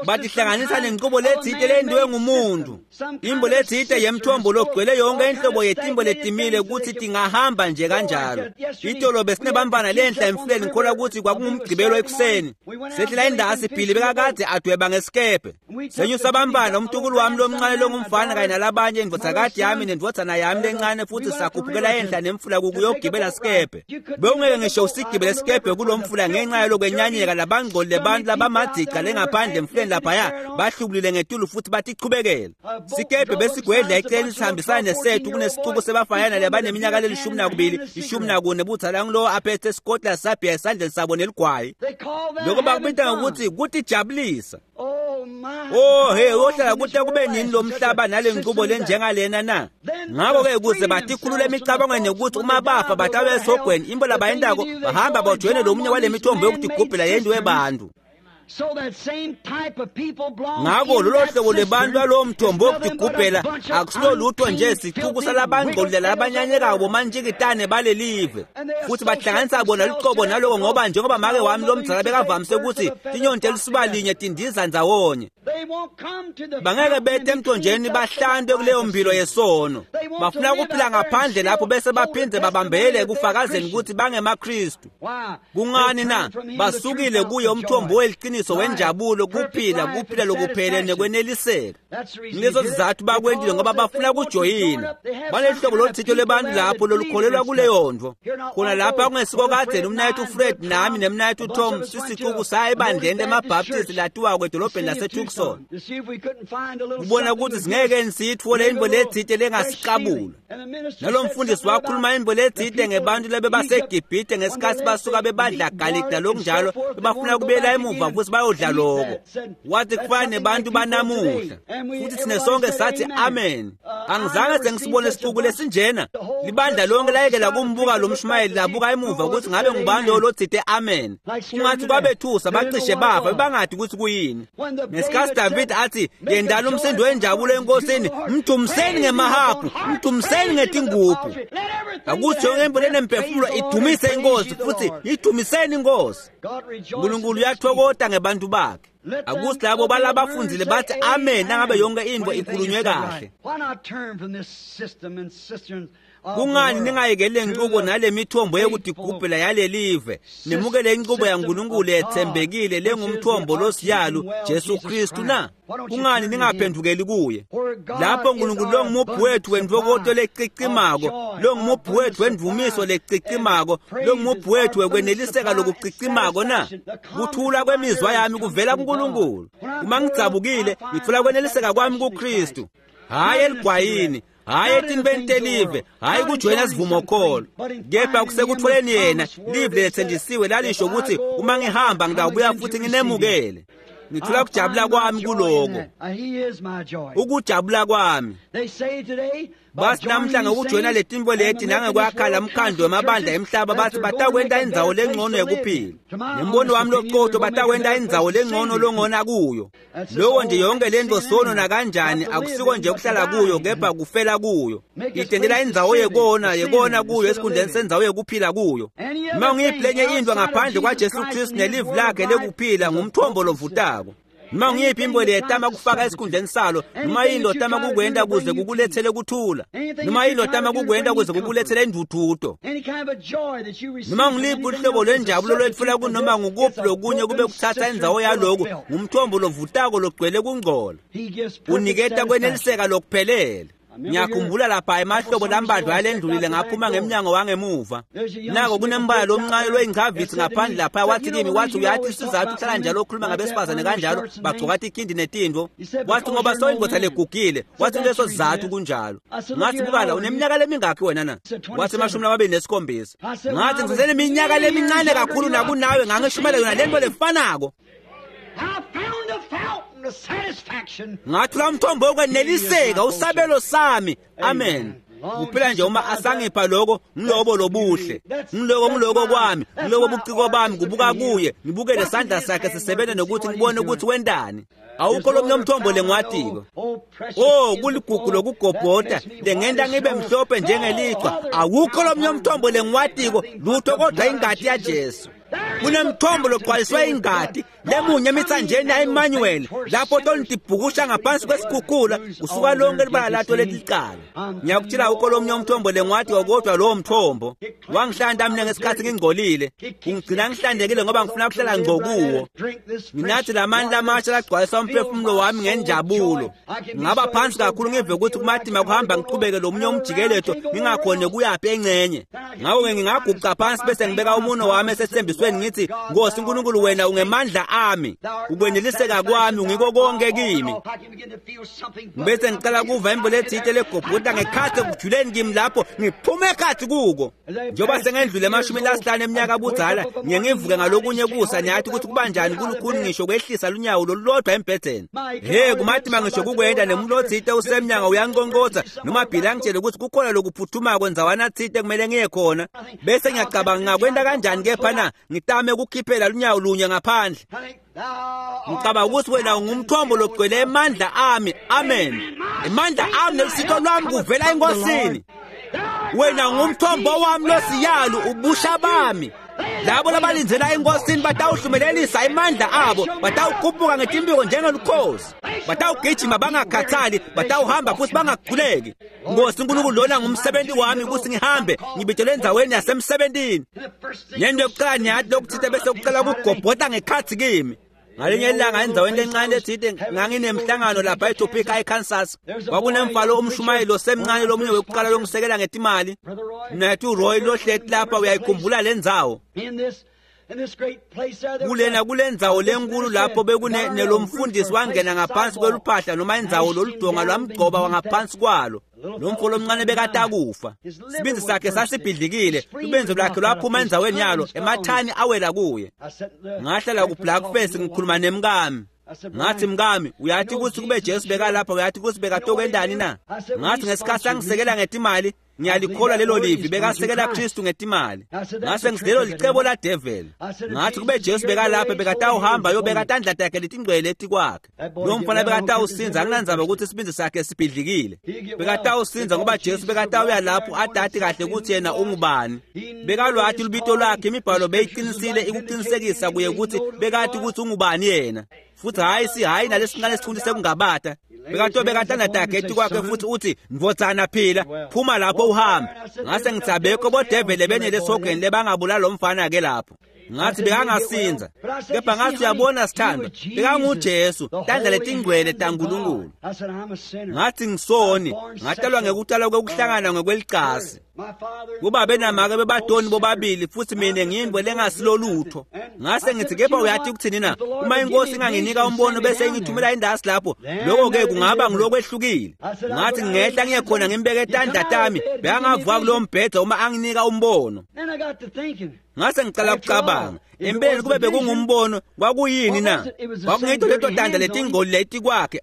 A: Batihlanganisa nenqubo letsite leyendiwe ngumuntu, imbo letsite yemthombo logcwele yonke inhlobo yetimbo letimile kutsi tingahamba nje kanjalo. Itolo besinebantfwana lenhla emfuleni, ngikholwa ukuthi kwakungumgqibelo ekuseni. Sehlela indasi Billy bekakade adweba ngesikebhe. Senyusa abantwana, umtukulu wami lomncane longumfana kanye nalabanye, indvodzakati yami nendvodzana yami lencane, futhi sakhuphukela enhla nemfula kukuyogibela sikebhe. Bewungeke ngisho usigibele sikebhe kulomfula ngenxa yalokwenyanyeka labangcolile bantu labamadica lengaphandle emfuleni laphaya bahlubulile ngetulu futhi batichubekela. Sikebhe besigwedla eceleni sihambisana nesethu kunesicuku sebafayana labaneminyaka leli-12, 14 budzala ngulowo aphethe isikotla sabhiya esandleni sabo neligwayi. Lokho bakubita ngokuthi kutijabulisa. Oh he, uyohlala kude kube nini lo mhlaba nale nqubo lenjengalena na? Ngakho-ke ukuze batikhulule emicabangweni yokuthi uma bafa batabe esogweni, imbo labayentako bahamba bajoyine lomunye wale mithombo yokutigubhela yendiwe bantu. Ngakho lolo hlobo lwebantu lwalowo mthombo wokutigubhela akusilo lutho nje sicuku salabangcolile labanyanyekako bomantshikitane balelive. Futhi bahlanganisa bona luqobo naloko ngoba njengoba make wami lomdzala bekavamise ukuthi tinyoni telisuba linye tindiza ndzawonye. Bangeke bete emthonjeni bahlantwe kuleyo mpilo yesono. Bafuna ukuphila ngaphandle lapho bese baphinde babambele ekufakazeni ukuthi bangemaKristu. Kungani na? Basukile kuye umthombo weliqiniso wenjabulo, kuphila, kuphila lokuphelele nekweneliseka. Ngilezo sizathu bakwentile ngoba bafuna kujoyina. Banehlobo loluthito lwebantu lapho lolukholelwa kuleyo nto. Khona lapha kungesiko kadzeni umnayethu Fred nami nemnayethu Tom sisicuku saya ebandleni lemaBaptist latiwako edolobheni laseTucson. Kubona ukuthi singeke siyitfole intfo letsite lengasiqabula. Nalo mfundisi wakhuluma intfo letsite ngebantu labebaseGibhithe ngesikhatsi basuka bebadla garlic nalokunjalo, bebafuna kubuyela emuva futhi bayodla loko. Wathi kufana nebantu banamuhla. Futhi thina sonke sathi amen. Angizange sengisibone isicuku lesinjena. Libandla lonke layekela kumbuka lo mshumayeli labuka emuva ukuthi ngabe ngubani lowo lotsite amen. Kungathi kwabethusa bacishe bafa bebangadi ukuthi kuyini. Ngesikhatsi David athi yendala umsindo wenjabulo enkosini, mdumiseni ngemahabhu, mdumiseni ngetingubhu. Akuthi yonke into lenemphefumulo idumise inkosi futhi idumiseni inkosi. uNkulunkulu uyathokota ngebantu bakhe. Akuthi labo balabafundzile bathi amen nangabe yonke into ikhulunywe kahle. Kungani ningayekeli lenqubo nale mithombo yekutigubhela yalelive, nemukele inqubo yaNkulunkulu yethembekile lengumthombo losiyalu Jesu Kristu na? Kungani ningaphendukeli kuye? Lapho uNkulunkulu longumuphi wethu wentfokoto lecicimako, longumuphi wethu wendumiso lecicimako, longumuphi wethu wekweneliseka lokucicimako na? Kuthula kwemizwa yami kuvela kuNkulunkulu. Uma ngidzabukile, ngitfola kweneliseka kwami kuKristu. Hhayi eligwayini, hhayi etintweni telive, hhayi kujoyina sivumokholo, kepha kusekutfoleni yena live lethenjisiwe lalisho ukuthi uma ngihamba ngitawubuya futhi nginemukele. Ngithola kujabula kwami kuloko. Ukujabula kwami. Bathi namhla ngokujoyina letimbo leti nangekwakha lamkhandlu wemabandla emhlaba bathi batakwenta indzawo lengcono yekuphila. Nembono wami loqotho batakwenta indzawo lengcono longona kuyo. Loko nje yonke lento sono nakanjani akusiko nje ukuhlala kuyo kepha kufela kuyo. Itendela indzawo yekona kuyo esikhundleni sendzawo yekuphila kuyo. Uma ngiyiphi lenye into ngaphandle kwaJesu Kristu nelivi lakhe lekuphila ngumthombo lovutako. Noma ngiyiphi imbo leyetama kufaka esikhundleni salo, noma yini lotama kukwenta kuze kukulethele kuthula, noma yini lotama kukwenta kuze kukulethele indvudvuto, noma ngiliphi uhlobo lwenjabulo lwetfula kunoma ngukuphi lokunye kube kuthatha indzawo yaloku, ngumthombo lovutako logcwele kungcola. Uniketa kweneliseka lokuphelele. Ngiyakhumbula lapha emahlobo lambadlwa yalendlulile ngaphuma ngemnyango wangemuva. Nako kunembala lomncane loyingcavitsi ngaphandle lapha wathi kimi, wathi uyathi isizathu uhlala njalo okhuluma ngabesifazane kanjalo bagcoka tikhindi netintfo. Wathi ngoba soyindvodza legugile, wathi leso sizathu kunjalo. Ngathi bukala uneminyaka lemingakhi wena na? Wathi 27. Ngathi ngiseneminyaka lemincane kakhulu nakunawe ngangishumela yona lento lefanako. Ngathi umthombo wokweneliseka usabelo sami. Amen. Kuphela nje uma asangipha lokho ngilobo lobuhle, ngiloko kwami, ngilobo buciko bami, kubuka kuye, ngibuke lesandla sakhe sisebenza nokuthi ngibone ukuthi wendani. Awukho lomnye umthombo lengwatiko. Oh, kuligugu lokugobhota lengenta ngibe mhlophe njengelichwa. Awukho lomnye umthombo lengwatiko lutho kodwa ingati yaJesu. Kunemthombo logcwaliswe ingati lemunye emithanjeni ya-Emmanuel lapho tonitibhukusha ngaphansi kwesikhukhula kusuka lonke libala lato lelicala. Ngiyakutshela awukho lomnye umthombo lengwatiko kodwa lowo mthombo wangihlanta mina ngesikhathi ngingcolile, ungigcina ngihlantekile ngoba ngifuna ukuhlala ngco kuwo. Nginathi lamandla amasha lagcwalisa umphefumulo wami ngenjabulo. Ngaba phansi kakhulu ngive ukuthi kumatima kuhamba ngiqhubeke lomunye umjikeleto ngingakhoni kuyaphi engcenye. Ngakho-ke ngingaguqa phansi bese ngibeka umuno wami esethembisweni ngithi Nkosi uNkulunkulu wena ungemandla ami, ukweneliseka kwami ungiko konke kimi. Bese ngicela kuva imbo lethite legobhuta ngekhathi ekujuleni kimi lapho ngiphume ekhathi kuko. Njengoba sengendlule 50 eminyaka budzala, ngiye ngivuke ngalokunye kusa niyathi ukuthi kubanjani kulukhuni ngisho kwehlisa lunyawo lolulodwa embhedeni. He kumatima ngisho kukwenda nemuntu othite usemnyango uyanqonqotha noma Bhila angitshele ukuthi kukhona lokuphuthumako ndzawana thite kumele ngiye khona. Bese ngiyacabanga ngakwenda kanjani kepha na ngitame ukukhiphela lunyawo lunye ngaphandle. Ngicabanga ukuthi wena ungumthombo logcwele emandla ami. Amen. Emandla ami nelusito lwami kuvela eNkosini. Wena ungumthombo wami losiyalu ubusha bami. Labo labalindzela eNkosini batawuhlumelelisa emandla abo, batawukhuphuka ngetimpiko njengelukhozi, batawugijima bangakhathali, batawuhamba futhi bangakhuleki. Nkosi uNkulunkulu lona ngumsebenzi wami ukuthi ngihambe ngibitele endzaweni yasemsebentini. Nento yokuqala niyathi lokuthite bese kuqala kugobhota ngekhathi kimi. Ngalinye ilanga endzaweni lencane lethite nganginemhlangano lapha eTopeka eKansas. Kwakunemfalo umshumayeli osemncane lomunye wekuqala longisekela ngetimali. Nathi Roy lohleti lapha uyayikhumbula lendzawo. Kulena kulendzawo lenkulu lapho bekunelomfundisi wangena ngaphansi kweluphahla noma indzawo loludonga lwamgcoba wangaphansi kwalo. Lo mfo lomncane bekatakufa. Sibindzi sakhe sasibhidlikile, lubenzo lwakhe lwaphuma endzaweni yalo, emathani awela kuye. Ngahlala ku-Blackface ngikhuluma nemkami. Ngathi mkami, uyathi ukuthi kube Jesu bekalapha, uyathi ukuthi bekatokwendani na? Ngathi ngesikhathi angisekela ngetimali, ngiyalikholwa lelo livi bekasekela Kristu ngetimali. Ngase ngithi lelo licebo la devil. Ngathi kube Jesu bekalapha bekatawuhamba yobeka tandla takhe letingcwele etikwakhe. Lo mfana bekatawusinza anginandzaba ukuthi isibindzi sakhe sibhidlikile. Bekatawusinza ngoba Jesu bekatawuya lapho adati kahle ukuthi yena ungubani. Bekalwati lubito lwakhe, imibhalo beyiqinisile ikuqinisekisa kuye ukuthi bekati ukuthi ungubani yena. Futhi hayi si hayi nalesincane sithundi sekungabata. Bekatobeka tandla takhe etikwakhe futhi uthi ndvodzana phila, phuma lapho uhambe. Ngase ngithi abekho bodevele benele esihogweni lebangabulala lo mfana ke lapho. Ngathi bekangasinza, kepha ngathi uyabona sithandwa, bekanguJesu, tandla letingcwele taNkulunkulu. Ngathi ngisoni, ngatalwa ngekutalwa kwekuhlangana ngokwelicasi. Kubabe namake bebadoni bobabili futhi mina ngiyindwe lengasilolutho. Ngase ngithi kepha uyathi ukuthini na? Uma inkosi inganginika umbono bese ingithumela indasi lapho, lokho ke kungaba ngilokwehlukile. Ngathi ngehla ngiye khona ngimbeke tandla tami, bekangavuka kulowo mbhedze uma anginika umbono. Ngase ngicala ukucabanga, empeleni kube bekungumbono kwakuyini na? Kwakungito leto tandla letingcoli letikwakhe,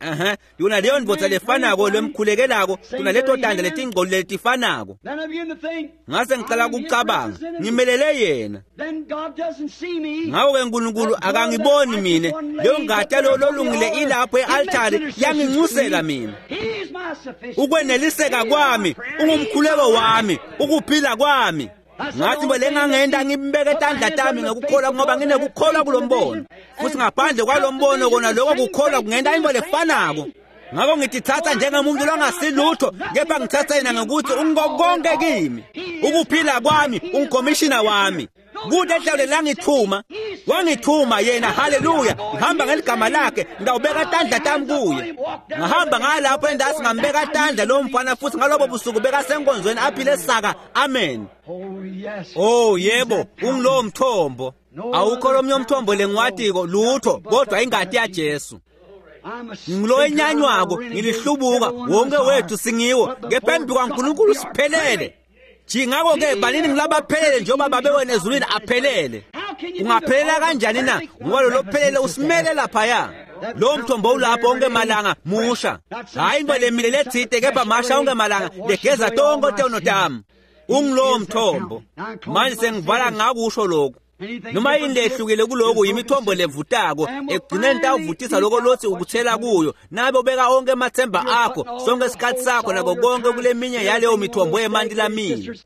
A: yona leyo ndvodza lefanako lemkhulekelako, yona leto tandla letingcoli letifanako. Ngase ngicala ukucabanga, ngimelele yena. Ngako-ke Nkulunkulu akangiboni mine, leyo ngati yalowo lolungile ilapho e-altari yanginxusela mina. Ukweneliseka kwami, ungumkhuleko wami, ukuphila kwami. Ngathi belengangenda ngibeke tandla tami ngokukholwa ngoba nginekukholwa kulombono. Futhi ngaphandle kwalombono kona lokho kukholwa kungenta into lefanako. Ngakho ngitithatha njengomuntu longasilutho, kepha ngithatha yena ngokuthi ungokonke kimi. Ukuphila kwami, ungkomishina wami. Kude ehlawule langithuma, wangithuma yena, haleluya. Ngihamba ngeligama lakhe, ngawubeka tandla tami kuye. Ngahamba ngalapho endasi ngambeka tandla lo mfana futhi ngalobo busuku bekasenkonzweni aphile saka. Amen. Oh yebo, ungilowo mthombo. Awukho lomnye umthombo lengiwatiko lutho kodwa ingati yaJesu. Ngilowo enyanywako, ngilihlubuka, wonke wethu singiwo, kepha embi kwaNkulunkulu siphelele. Ngakho-ke banini ngilabaphelele njengoba babe wena ezulwini aphelele. Ungaphelela kanjani na? Ngoba lo lophelele usimele laphaya. Lo mthombo ulapho onke malanga musha. Hayi into lemile lethide kepha masha onke malanga legeza tonke tono tami. Ungilowo mthombo. Manje sengivala ngakusho lokhu. Noma yini lehlukile kuloko yimithombo levutako ekugcineni tawuvutisa lokho lothi ukuthela kuyo nabe ubeka onke amathemba akho sonke isikhathi sakho nako konke kuleminye yaleyo mithombo yemanti lamile.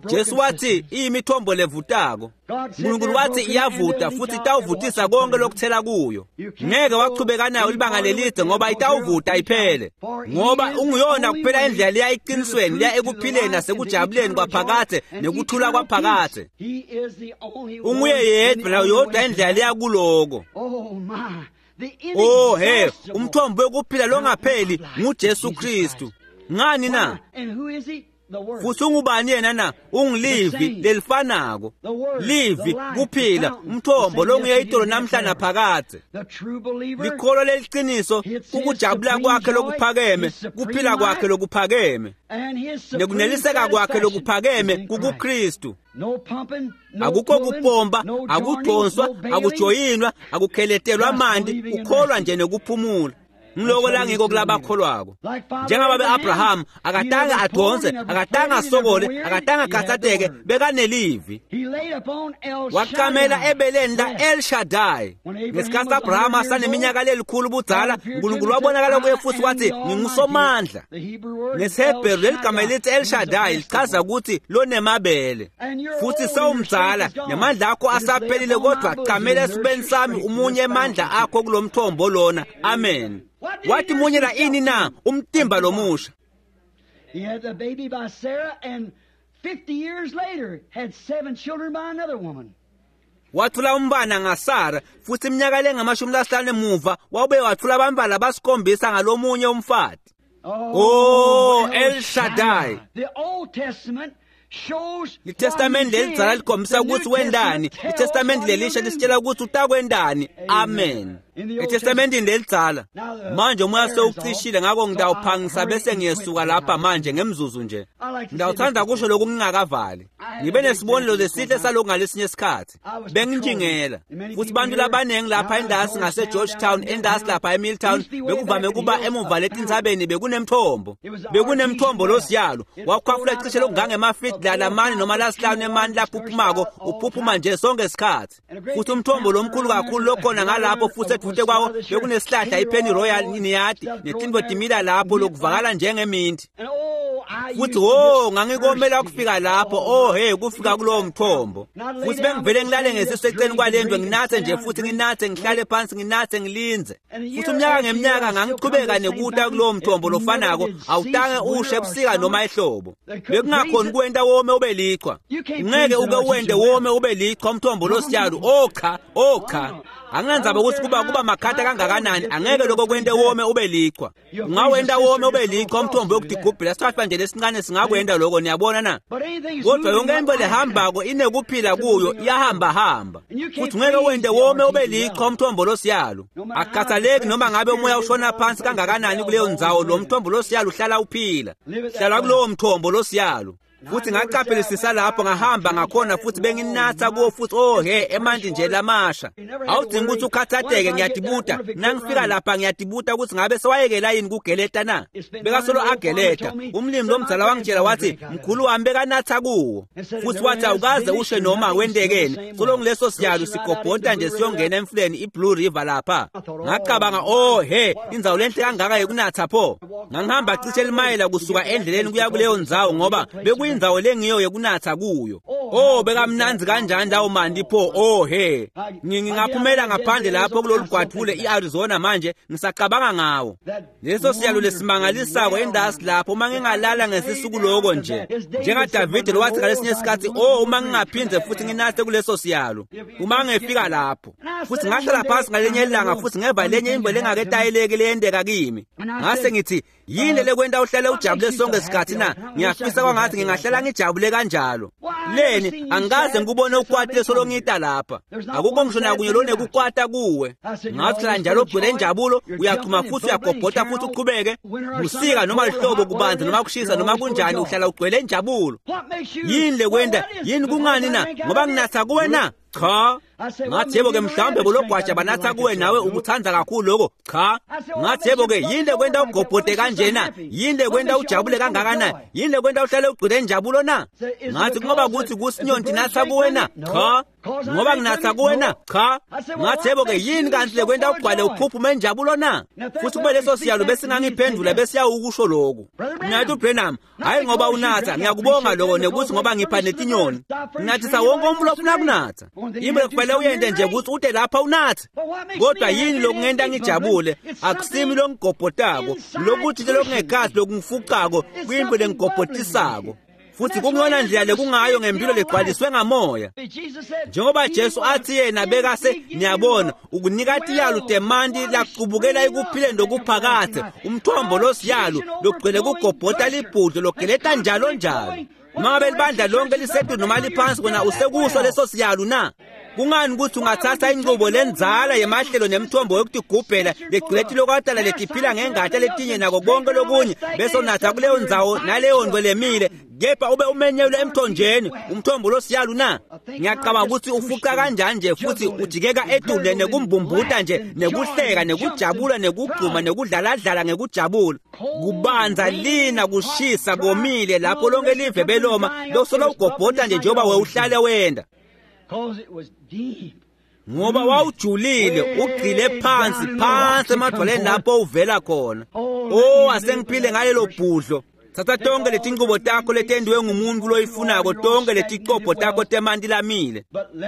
A: Jesu wathi iyimithombo levutako. Nkulunkulu wathi iyavuta futhi itawuvutisa konke lokuthela kuyo. Ngeke wachubeka nayo libanga lelide ngoba itawuvuta iphele. Ngoba unguyona kuphela indlela leya eqinisweni, leya ekuphileni nasekujabuleni kwaphakathe nekuthula kwaphakathe. Unguye yedwa nayo yodwa indlela leya kuloko. Oh he, umthombo wokuphila longapheli nguJesu Kristu. Ngani na? Futhi ungubani yena na? Ungilivi lelifanako. Livi kuphila, umthombo longuye itolo namhla naphakadze. Likholwa leliqiniso ukujabula kwakhe lokuphakeme, kuphila kwakhe lokuphakeme, nekuneliseka kwakhe lokuphakeme kukuKristu. Akukho kupompa, akudonswa, akujoyinwa, akukheletelwa amanti, ukholwa nje nekuphumula. Ngiloko la ngiko kulabakholwako. Njengoba be-Abraham akatange adonse, akatange asokole, akatange akhathateke, bekanelivi. Waqamela ebeleni la El Shaddai. Ngesikhathi Abraham asaneminyaka lelikhulu budzala, uNkulunkulu wabonakala kuye futhi wathi ngingusomandla. NgesiHebheru leli gama elithi El Shaddai lichaza ukuthi lonemabele. Futhi sewumdzala, nemandla akho asaphelile kodwa qamela esibeni sami umunye emandla akho kulomthombo lona. Amen. Wathi munye la ini na umtimba lomusha.
B: He had the baby by Sarah and 50 years later had 7 children by another woman.
A: Wathula umbana ngaSara futhi iminyaka lengamashumi emuva wawube wathula abantwana abasikhombisa ngalomunye umfati. Oh, El Shaddai.
B: The Old Testament shows
A: iTestament lelidzala likhombisa ukuthi wendani, iTestament lelisha lisitshela ukuthi utakwendani. Amen. eTestamentini lelidzala. Manje umoya sewucishile ngakho ngidawuphangisa bese ngiyesuka lapha manje ngemzuzu nje. Ngidawuthanda kusho lokhu ngingakavali. Ngibe nesibonelo lesihle salokhu ngalesinye isikhathi. Benginjingela. Futhi bantu labanengi lapha endasi ngase Georgetown, endasi lapha eMilltown, bekuvame kuba emuva letintsabeni bekunemthombo. Bekunemthombo losiyalo. Wakhwafula cishe lokungangemafiti lalamane noma lasihlanu emani lapho uphumako, uphuphuma nje sonke isikhathi. Futhi umthombo lomkhulu kakhulu lokhona ngalapho futhi edvute kwawo bekunesihlahla iPenny Royal niyadi netinto timila lapho lokuvakala njengeminti. Futhi wo ngangikomela ukufika lapho, oh hey, kufika kulowo mthombo. Futhi bengivele ngilale ngesisu eceleni kwalendlu nginathe nje futhi nginathe ngihlale phansi nginathe ngilinze. Futhi umnyaka ngeminyaka ngangiqhubeka nekuta kulowo mthombo lofanako, awutange ushe ebusika noma ehlobo. Bekungakhoni kuwenta wome ube lichwa. Ngeke uke wende wome ube lichwa umthombo losiyalo. Oh cha, oh cha. Anginandzaba ukuthi kuba makhata kangakanani, angeke lokho kwente wome ube lichwa. Ungawenta wome ube lichwa umthombo wokudigubhela sithathwa nje lesincane singakwenta lokho, niyabona na? Kodwa yonke into lehambako inekuphila kuyo, iyahamba hamba. Futhi ngeke wente wome ube lichwa umthombo losiyalo. Akukhathaleki noma ngabe umoya ushona phansi kangakanani kuleyo ndzawo, lo mthombo losiyalo uhlala uphila. Hlala kulowo mthombo losiyalo. Futhi ngaqaphelisisa lapho ngahamba ngakhona futhi benginatha kuwo futhi oh he emanti nje lamasha. Awudingi ukuthi ukhathatheke ngiyadibuta. Nangifika lapha ngiyadibuta ukuthi ngabe sewayekela yini kugeleta na. Bekasolo ageleta. Umlimi lomdzala wangitshela wathi mkhulu wami bekanatha kuwo. Futhi wathi awukaze ushe noma wendekeni. Solo ngileso siyalo sigobhota nje siyongena emfuleni iBlue River lapha. Ngacabanga oh he indzawo lenhle kangaka yokunatha pho. Ngangihamba cishe limayela kusuka endleleni kuya kuleyo ndzawo ngoba bekuyindzawo lengiyo yokunatha kuyo. Oh bekamnandzi kanjani lawo manti pho oh he. Ngingaphumela ngaphandle lapho kulolu gwadule iArizona manje ngisacabanga ngawo. Leso siyalo lesimangalisako endasi lapho uma ngingalala ngesisuku lokho nje. NjengaDavid lowathi ngalesinye isikhathi oh uma ngingaphindze futhi nginathe kuleso siyalo. Uma ngifika lapho futhi ngahlala phansi ngalenye ilanga futhi ngeva lenye imvo lengaketayeleki leyendeka kimi. Ngase ngithi yini lekwenta uhlale ujabule sonke isikhathi na? Ngiyafisa kwangathi ngingahlala ngijabule kanjalo. Leni angikaze ngikubone ukwatile solongita lapha. Akukho ngisho nakunye lonekukwata kuwe. Ngathi hlala njalo ugcwele injabulo, uyachuma futhi uyagobhota futhi uqhubeke. Busika noma lihlobo kubanzi noma kushisa noma kunjani uhlala ugcwele injabulo. Yini lekwenta? Yini kungani na? Ngoba nginatha kuwe na? Cha. Ngathi yebo ke mhlawumbe bologwaja banatha kuwe nawe ukuthanda kakhulu lokho. Cha. Ngathi yebo ke yini lekwenta ugobhote kanjena? Yini lekwenta ujabule kangakanani? Yini lekwenta uhlale ugcwele injabulo na? Ngathi ngoba kuthi kusinyonti natha kuwe na? Cha. Ngoba nginatha kuwe na? Cha. Ngathi yebo ke yini kanti lekwenta ugcwale uphuphume injabulo na? Futhi kube leso siyalo besingangiphendula besiyawukusho lokhu. Ngathi uBrenham, hayi ngoba unatha, ngiyakubonga lokho nekuthi ngoba ngipha netinyoni. Ngathi wonke umuntu ofuna kunatha. Yimbe kufanele uyende nje ukuthi ude lapha unathe. Kodwa yini lokungenta ngijabule? Akusimi longigobhotako, lokuthi lokungekhathi lokungifuqako, kuyimbe lengigobhotisako. Futhi kungiyona ndlela lekungayo ngempilo legcwaliswe ngamoya. Njengoba Jesu athi yena bekase niyabona ukunika tiyalo temanti laqubukela ekuphileni lokuphakathe umthombo losiyalo logcwele kugobhota libhudlo logeleta njalo njalo. Mangabe libandla lonke lisetulu noma liphansi kona usekuso leso siyalo na? Kungani ukuthi ungathatha inqubo lenzala yemahlelo nemithombo yokutigubhela legcwele tilokatala letiphila ngengata letinye nako konke lokunye bese unatha kuleyo ndzawo naleyo nto lemile kepha ube umenyelwe emthonjeni umthombo losiyalo na? Ngiyacabanga ukuthi ufuqa kanjani nje futhi ujikeka edule nekumbumbuta nje nekuhleka nekujabula nekugquma nekudlaladlala ngekujabula. Kubanza lina kushisa komile lapho lonke live beloma losola ugobhota nje njengoba wewuhlale wenda. Ngoba wawujulile ugcile phansi phansi emadwaleni lapho uvela khona. Oh asengiphile ngalelo bhudlo. Thatha tonke letinqubo takho letendiwe ngumuntu loyifunako tonke leticobho takho temanti lamile.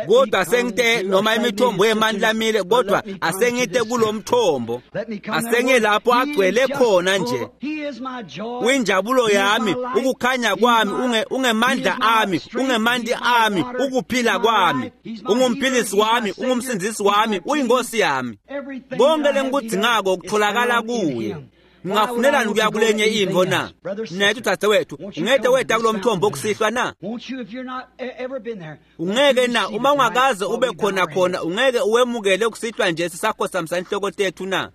A: Kodwa asengite noma imithombo yemanti lamile kodwa asengite kulomthombo. Asenge lapho agcwele khona nje. Uyinjabulo yami, ukukhanya kwami, ungemandla ami, ungemanti ami, ukuphila kwami. Ungumphilisi wami, ungumsindzisi wami, uyinkosi yami. Konke lengikudzingako kutholakala kuye. Ngingafunelani ukuya kulenye intfo na? Nethu dzadzewethu, ungete weta kulo mthombo okusihlwa na? Ungeke na uma ungakaze ube khona khona ungeke uwemukele ukusihlwa nje sisakhosamisa inhloko tethu na?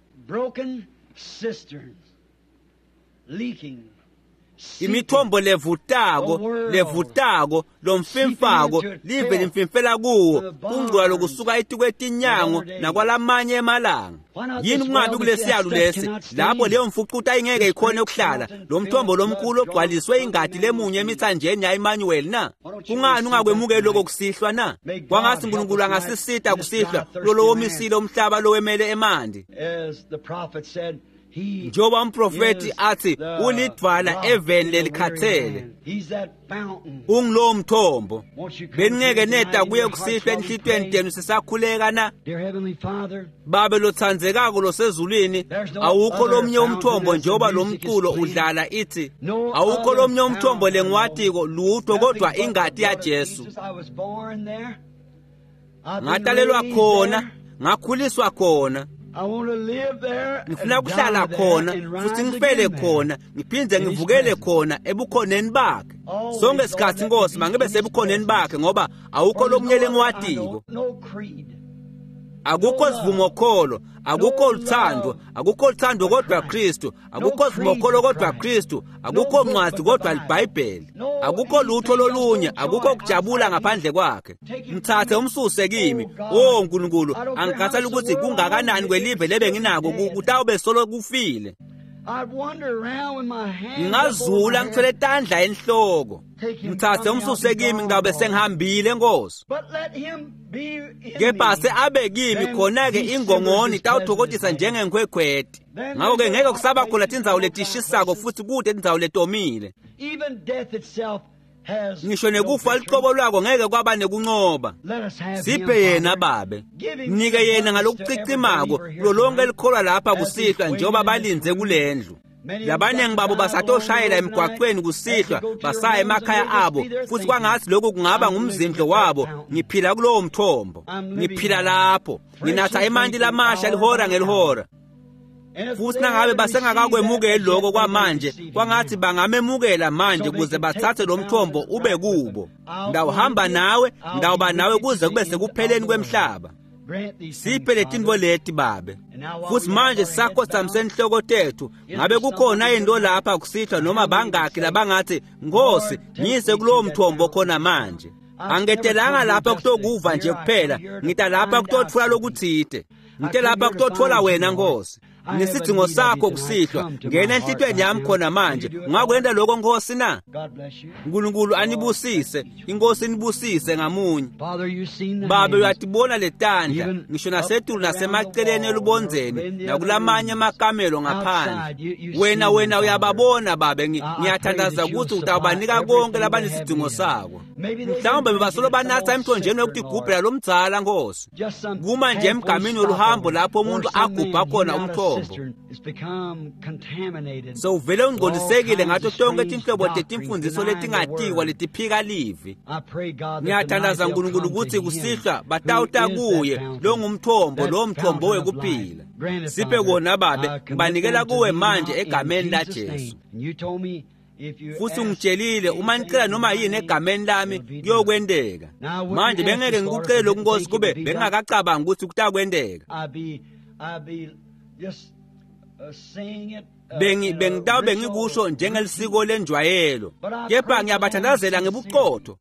A: Imithombo levutako levutako lomfimfako live limfimfela kuwo kungcwala lokusuka etikwetinyango nakwalamanye emalanga. Yini kungabi kulesiyalo lesi lapho leyo mfucuta ingeke ikhone ukuhlala lo mthombo lomkhulu ogcwaliswe ingadi lemunye emithanjeni ya-Emmanuel na? Kungani ungakwemukeli lokho kusihlwa na? Kwangathi uNkulunkulu angasisita kusihlwa kulolo womisile umhlaba lowemele emanti. Njengoba umprofeti athi ulidvwala eveni lelikhathele, ungulowo mthombo. Beningeke neda kuye kusihlwa enhlitiyweni tenu sisakhuleka na? Babe lotsandzekako losezulwini, awukho lomnye umthombo njengoba lo mculo udlala ithi awukho lomnye umthombo lengiwatiko lutho kodwa ingati yaJesu. Ngatalelwa khona, ngakhuliswa khona. Ngifuna ukuhlala khona futhi ngifele khona ngiphinde ngivukele khona ebukhoneni bakhe. Sonke isikhathi Nkosi mangibe sebukhoneni bakhe ngoba awukho lokunye lengiwatiko. Akukho sivumokholo, akukho luthando, akukho luthando kodwa Kristu, akukho sivumokholo kodwa Kristu, akukho ncwadi kodwa liBhayibheli, akukho lutho lolunye, akukho kujabula ngaphandle kwakhe. Mthathe umsuse kimi. Oh Nkulunkulu, angikhathali ukuthi kungakanani kwelive lebe nginako, kutawube solo kufile. Ngingazula ngithwele tandla enhloko. Mthathe umsuse kimi, ngawube sengihambile Nkosi. Kepha se abe kimi, khona-ke ingongoni itawuthokothisa njengenkhwekhweti. Ngakho-ke ngeke kusaba khona tindzawo letishisako futhi kude tindzawo letomile. Ngisho nekufa luqobo lwako ngeke kwaba nekuncoba. Siphe yena Babe, mnike yena ngalokucicimako kulo lonke likholwa lapha kusihlwa njengoba balinze kulendlu. Labaningi babo basatoshayela emgwaqweni kusihlwa basaya emakhaya abo, futhi kwangathi lokhu kungaba ngumzindlo wabo. Ngiphila kulowo mthombo, ngiphila lapho, nginatha emanti lamasha lihora ngelihora. Futhi nangabe basengakakwemukeli lokho kwamanje, kwangathi bangamemukela manje ukuze bathathe lo mthombo ube kubo. Ndawuhamba nawe, ndawuba nawe kuze kube sekupheleni kwemhlaba. Siphe letintfo leti Babe. Futhi manje sisakhothamise inhloko tethu, ngabe kukhona into lapha kusihlwa noma bangakhi labangathi, Nkosi, ngiyise kulowo mthombo khona manje. Angetelanga lapha kutokuva nje kuphela, ngita lapha kutotfola lokutsite. Ngite lapha kutotfola wena Nkosi. Ngisidzingo sakho kusihlwa, ngena enhlitiyweni yami khona manje. Ungakwenta lokho Nkosi na? Nkulunkulu anibusise, iNkosi inibusise ngamunye. Babe, uyatibona letandla, ngisho nasetulu nasemaceleni elubondzeni nakulamanye amakamelo ngaphandle. Wena uyababona Babe, ngiyathandaza ukuthi utawubanika konke labanesidzingo sako. Mhlawumbe bebasolo banatha emthonjeni wokutigubhela lomdzala Nkosi. Kuma nje emgamini woluhambo lapho umuntu agubha khona umthombo. Sewuvele ungcolisekile ngato tonke tinhlobo tetimfundiso letingatiwa letiphika livi. Ngiyathandaza Nkulunkulu ukuthi kusihlwa batawuta kuye longumthombo, lowo mthombo wekuphila. Siphe kona Babe, ngibanikela kuwe manje egameni laJesu. Futhi ungitshelile uma nicela noma yini egameni lami kuyokwenteka. Manje bengeke ngikucele lokhu Nkosi kube bengingakacabangi ukuthi kutakwenteka. Bengitawube ngikusho njengelisiko lenjwayelo, kepha ngiyabathandazela ngebuqotho.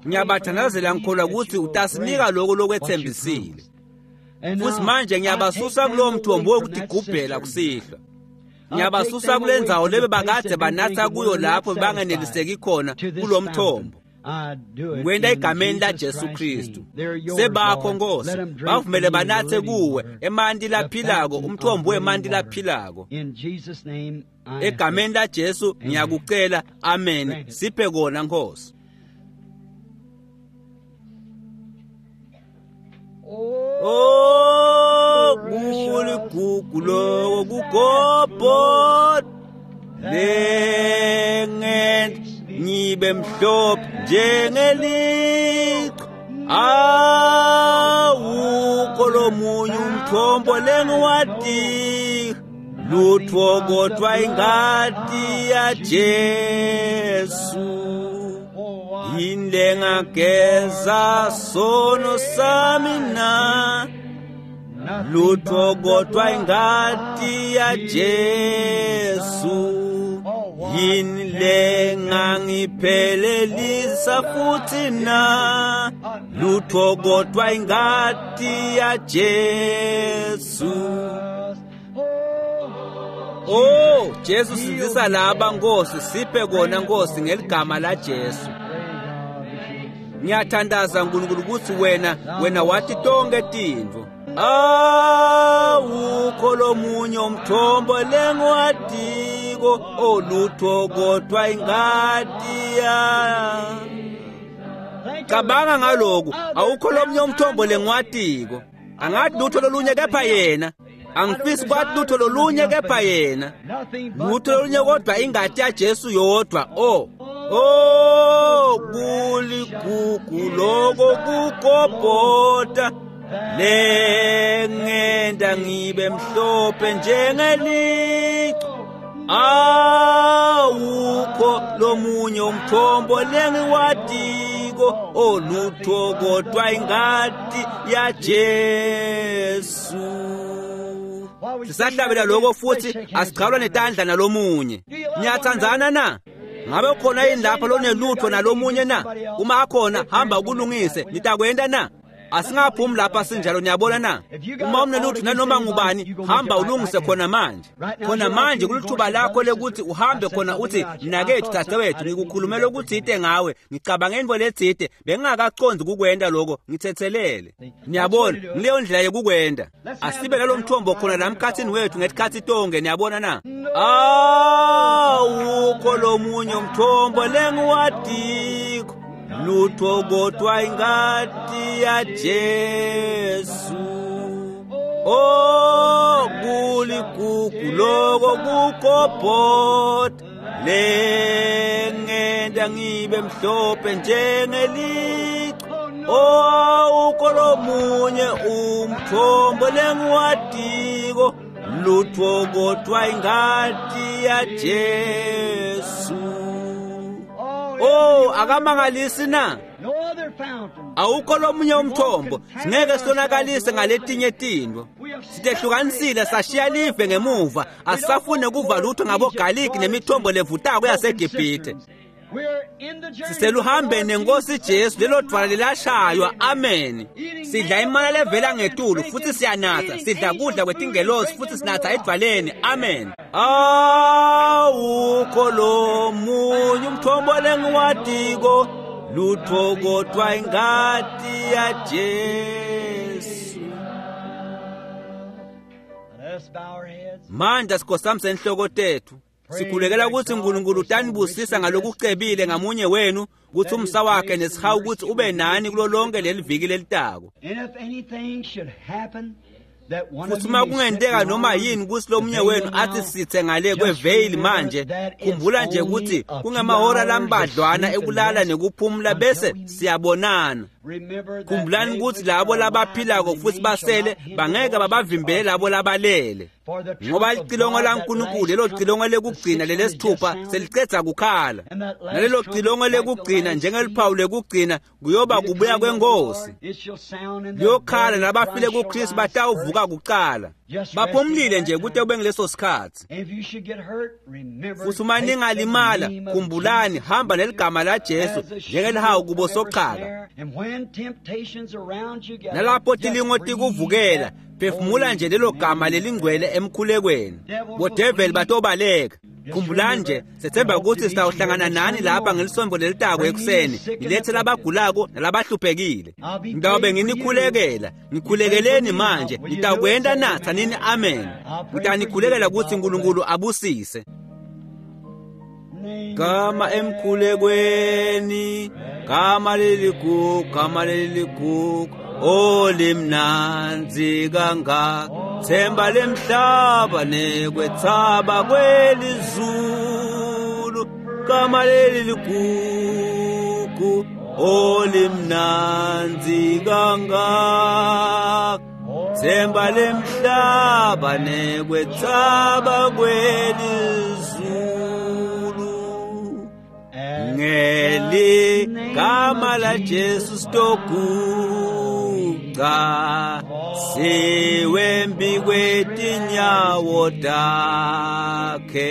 A: Ngiyabathandazela ngikholwa ukuthi utasinika lokho lokwethembisile. Futhi manje ngiyabasusa kulowo mthombo wokutigubhela kusihlwa. Ngiyabasusa kule ndzawo lebe bakade banatha kuyo lapho bangeneliseki khona kulo mthombo. Ngikwenta egameni laJesu Kristu. Sebakho Nkosi, bavumele banathe kuwe emanti laphilako, umthombo wemanti laphilako. Egameni laJesu ngiyakucela, amen. Siphe kona Nkosi. Oh, kuligugu loko kugobhoda lengent ngibe mhlophe njengeliqhwa. Awukho lomunye umthombo lengiwati, lutho kodwa ingati yaJesu. Yini lengageza sono sami na? Lutho kodwa ingati yaJesu. Yini lengangiphelelisa futhi na? Lutho kodwa ingati yaJesu. Oh, Jesu sindzisa laba Nkosi, siphe kona Nkosi ngeligama laJesu. Ngiyathandaza Nkulunkulu ukuthi wena wathi tonke tintfo. Awukho lomunye umthombo lengiwatiko, olutho kodwa ingati ya. Cabanga ngaloku, awukho lomunye umthombo lengiwatiko. Angathi lutho lolunye kepha yena. Angifisi kwathi lutho lolunye kepha yena. Lutho lolunye kodwa ingati yaJesu yodwa. Oh, oh, kuligugu loko kugobhoda lengenda ngibe mhlophe njengeliqhwa. Awukho lomunye umthombo lengiwatiko, lengiwatiko olutho kodwa ingati yaJesu. Sisahlabela lokho futhi asiqhalwa netandla nalomunye. Niyathandzana na? Ngabe ukhona yini lapha lonelutho nalomunye na? Uma akhona hamba ukulungise, nitakwenda na? Asingaphumi lapha sinjalo, niyabona na? Uma unelutho nanoma ngubani, hamba ulungise khona manje. Khona manje kulithuba lakho lekuthi uhambe khona uthi mnakethu, dadewethu, ngikukhulumela okuthite ngawe, ngicabanga into letsite, bengingakaconzi kukwenta lokho, ngithethelele. Niyabona, ngileyo ndlela yokukwenta. Asibe nalo mthombo khona la mkhathini wethu ngesikhathi tonke, niyabona na? Awukho lomunye umthombo lengiwadiko, lutho kodwa ingati yaJesu. Oh, kuligugu loko kukobhota, lengenda ngibe mhlophe njengelichwa. Oh, awukho lomunye umthombo lengiwadiko, lutho kodwa ingati yaJesu. Oh, akamangalisi na? Awukho lomunye umthombo, singeke sonakalise ngaletinye tintfo. Sitehlukanisile sashiya live ngemuva, asisafune kuva lutho ngabogaliki nemithombo levutako yaseGibhithe. Siseluhambeni nenkosi Jesu, lelo dvwala lelashaywa. Amen. Sidla imana levela ngetulu futhi siyanatha, sidla kudla kwetingelosi futhi sinatha edvwaleni. Amen. Awukho lomunye umthombo lengiwadiko, lutho kodwa ingati yaJesu. Manje sikhosam senhloko tethu. Sikhulekela ukuthi uNkulunkulu utanibusisa ngalokucebile ngamunye wenu, ukuthi umsa wakhe nesihawu ukuthi ube nani kulo lonke leli viki lelitako. Futhi uma kungenteka noma yini ukuthi lomunye wenu athi sithe ngale kweveyili manje, khumbula nje ukuthi kungemahora lambadlwana ekulala nekuphumula bese siyabonana. Khumbulani ukuthi labo labaphilako futhi basele bangeke babavimbele labo labalele, ngoba licilongo laNkulunkulu lelo cilongo lekugcina lelesithupha selicedza kukhala, nalelo cilongo lekugcina njengeliphawu lekugcina kuyoba kubuya kwenkosi. Liyokhala nabafile kuKristu batawuvuka kuqala. Baphumlile nje kute kube ngileso sikhathi. Futhi uma ningalimala, khumbulani, hamba neligama laJesu njengelihawu kubo sochaka. Nalapho tilingo tikuvukela, phefumula nje lelo gama lelingcwele emkhulekweni. Bodeveli batobaleka. Khumbulani nje, sethemba ukuthi sitawuhlangana nani lapha ngelisonto lelitako ekuseni, nilethe labagulako nalabahluphekile. Ngitawube nginikhulekela, ngikhulekeleni manje, nitawukwenta na? Tsanini amen. Ngitanikhulekela ukuthi uNkulunkulu abusise. Gama emkhulekweni, gama leligugu, gama leligugu, olimnandzi kangaka, themba lemhlaba nekwethaba kwelizulu, gama leli ligugu, olimnandzi kangaka, themba lemhlaba nekwethaba kwelizulu. Ngeligama laJesu sitoguca, siwembi kwetinyawo takhe,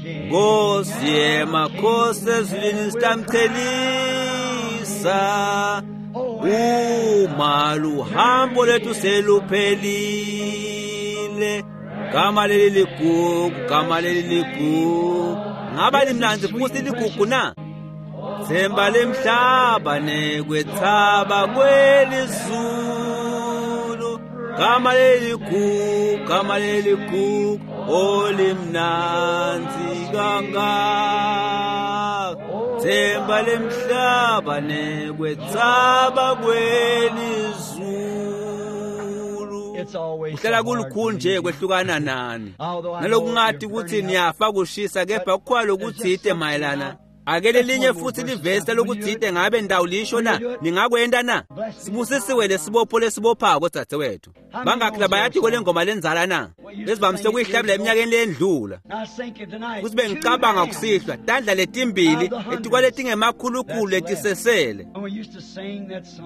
A: Nkosi yemakhosi ezulwini sitamchelisa, uma luhambo lethu seluphelile. Gama leli ligugu, gama leli ligugu, ngaba limnandzi futhi ligugu na? Themba lemhlaba nekwethaba kwelizulu, gama leligugu, gama leligugu, olimnandzi kangaka, themba lemhlaba nekwethaba kwelizulu. Kuhlala kulukhulu nje kwehlukana nani, nalokungathi ukuthi niyafa kushisa, kepha kukhona lokuthite mayelana. Ake lelinye futhi livesi lokuthite ngabe ndawulisho na? Ningakwenda na? Sibusisiwe lesibopho lesibophako dzadzewethu. Bangakhi labayati kule ngoma lenzala na? Besivamise ukuyihlabela eminyakeni leyendlula. Futhi bengicabanga kusihlwa tandla letimbili etikwaletingemakhulukhulu letisesele.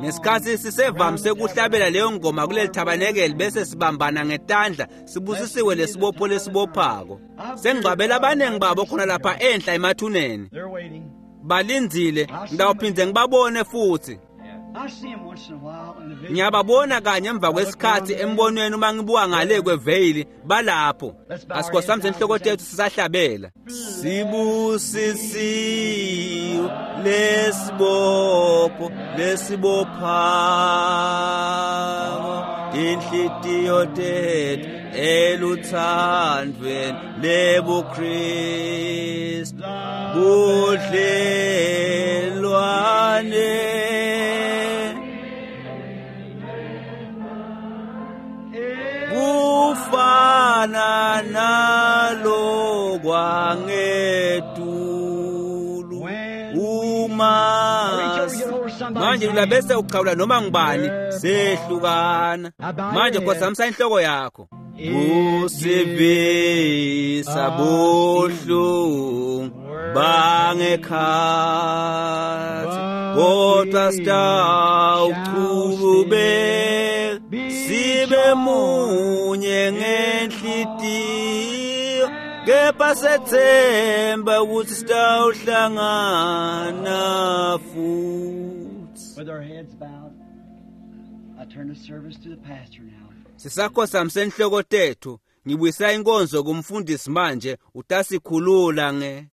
A: Ngesikhathi sisevamise ukuhlabela leyo ngoma kuleli thabanekeli bese sibambana ngetandla sibusisiwe lesibopho lesibophako. Sengigcwabela abaningi babo khona lapha enhla emathuneni. Balindzile, ngitawuphindze ngibabone futhi. Ngiyababona kanye emva kwesikhathi embonweni uma ngibuka ngale kweveyili balapho. Asikhosamise inhloko tethu sisahlabela. Sibusisiwe lesibopho lesibophako tinhlitiyo tethu eluthandweni lebuKristu budlelwane kufana nalo kwangetulu uma manje ulabese uqhawula noma ngubani sehlukana manje khosamisa inhloko yakho kusivisa buhlungu bangekhathi kodwa sitawuchubeka sibe munye ngenhlitiyo kepha sethemba ukuthi sitawuhlangana futhi.
B: With our heads bowed, I turn the service to the pastor now.
A: Sisakhosamise inhloko tethu ngibuyisa inkonzo kumfundisi manje utasikhulula nge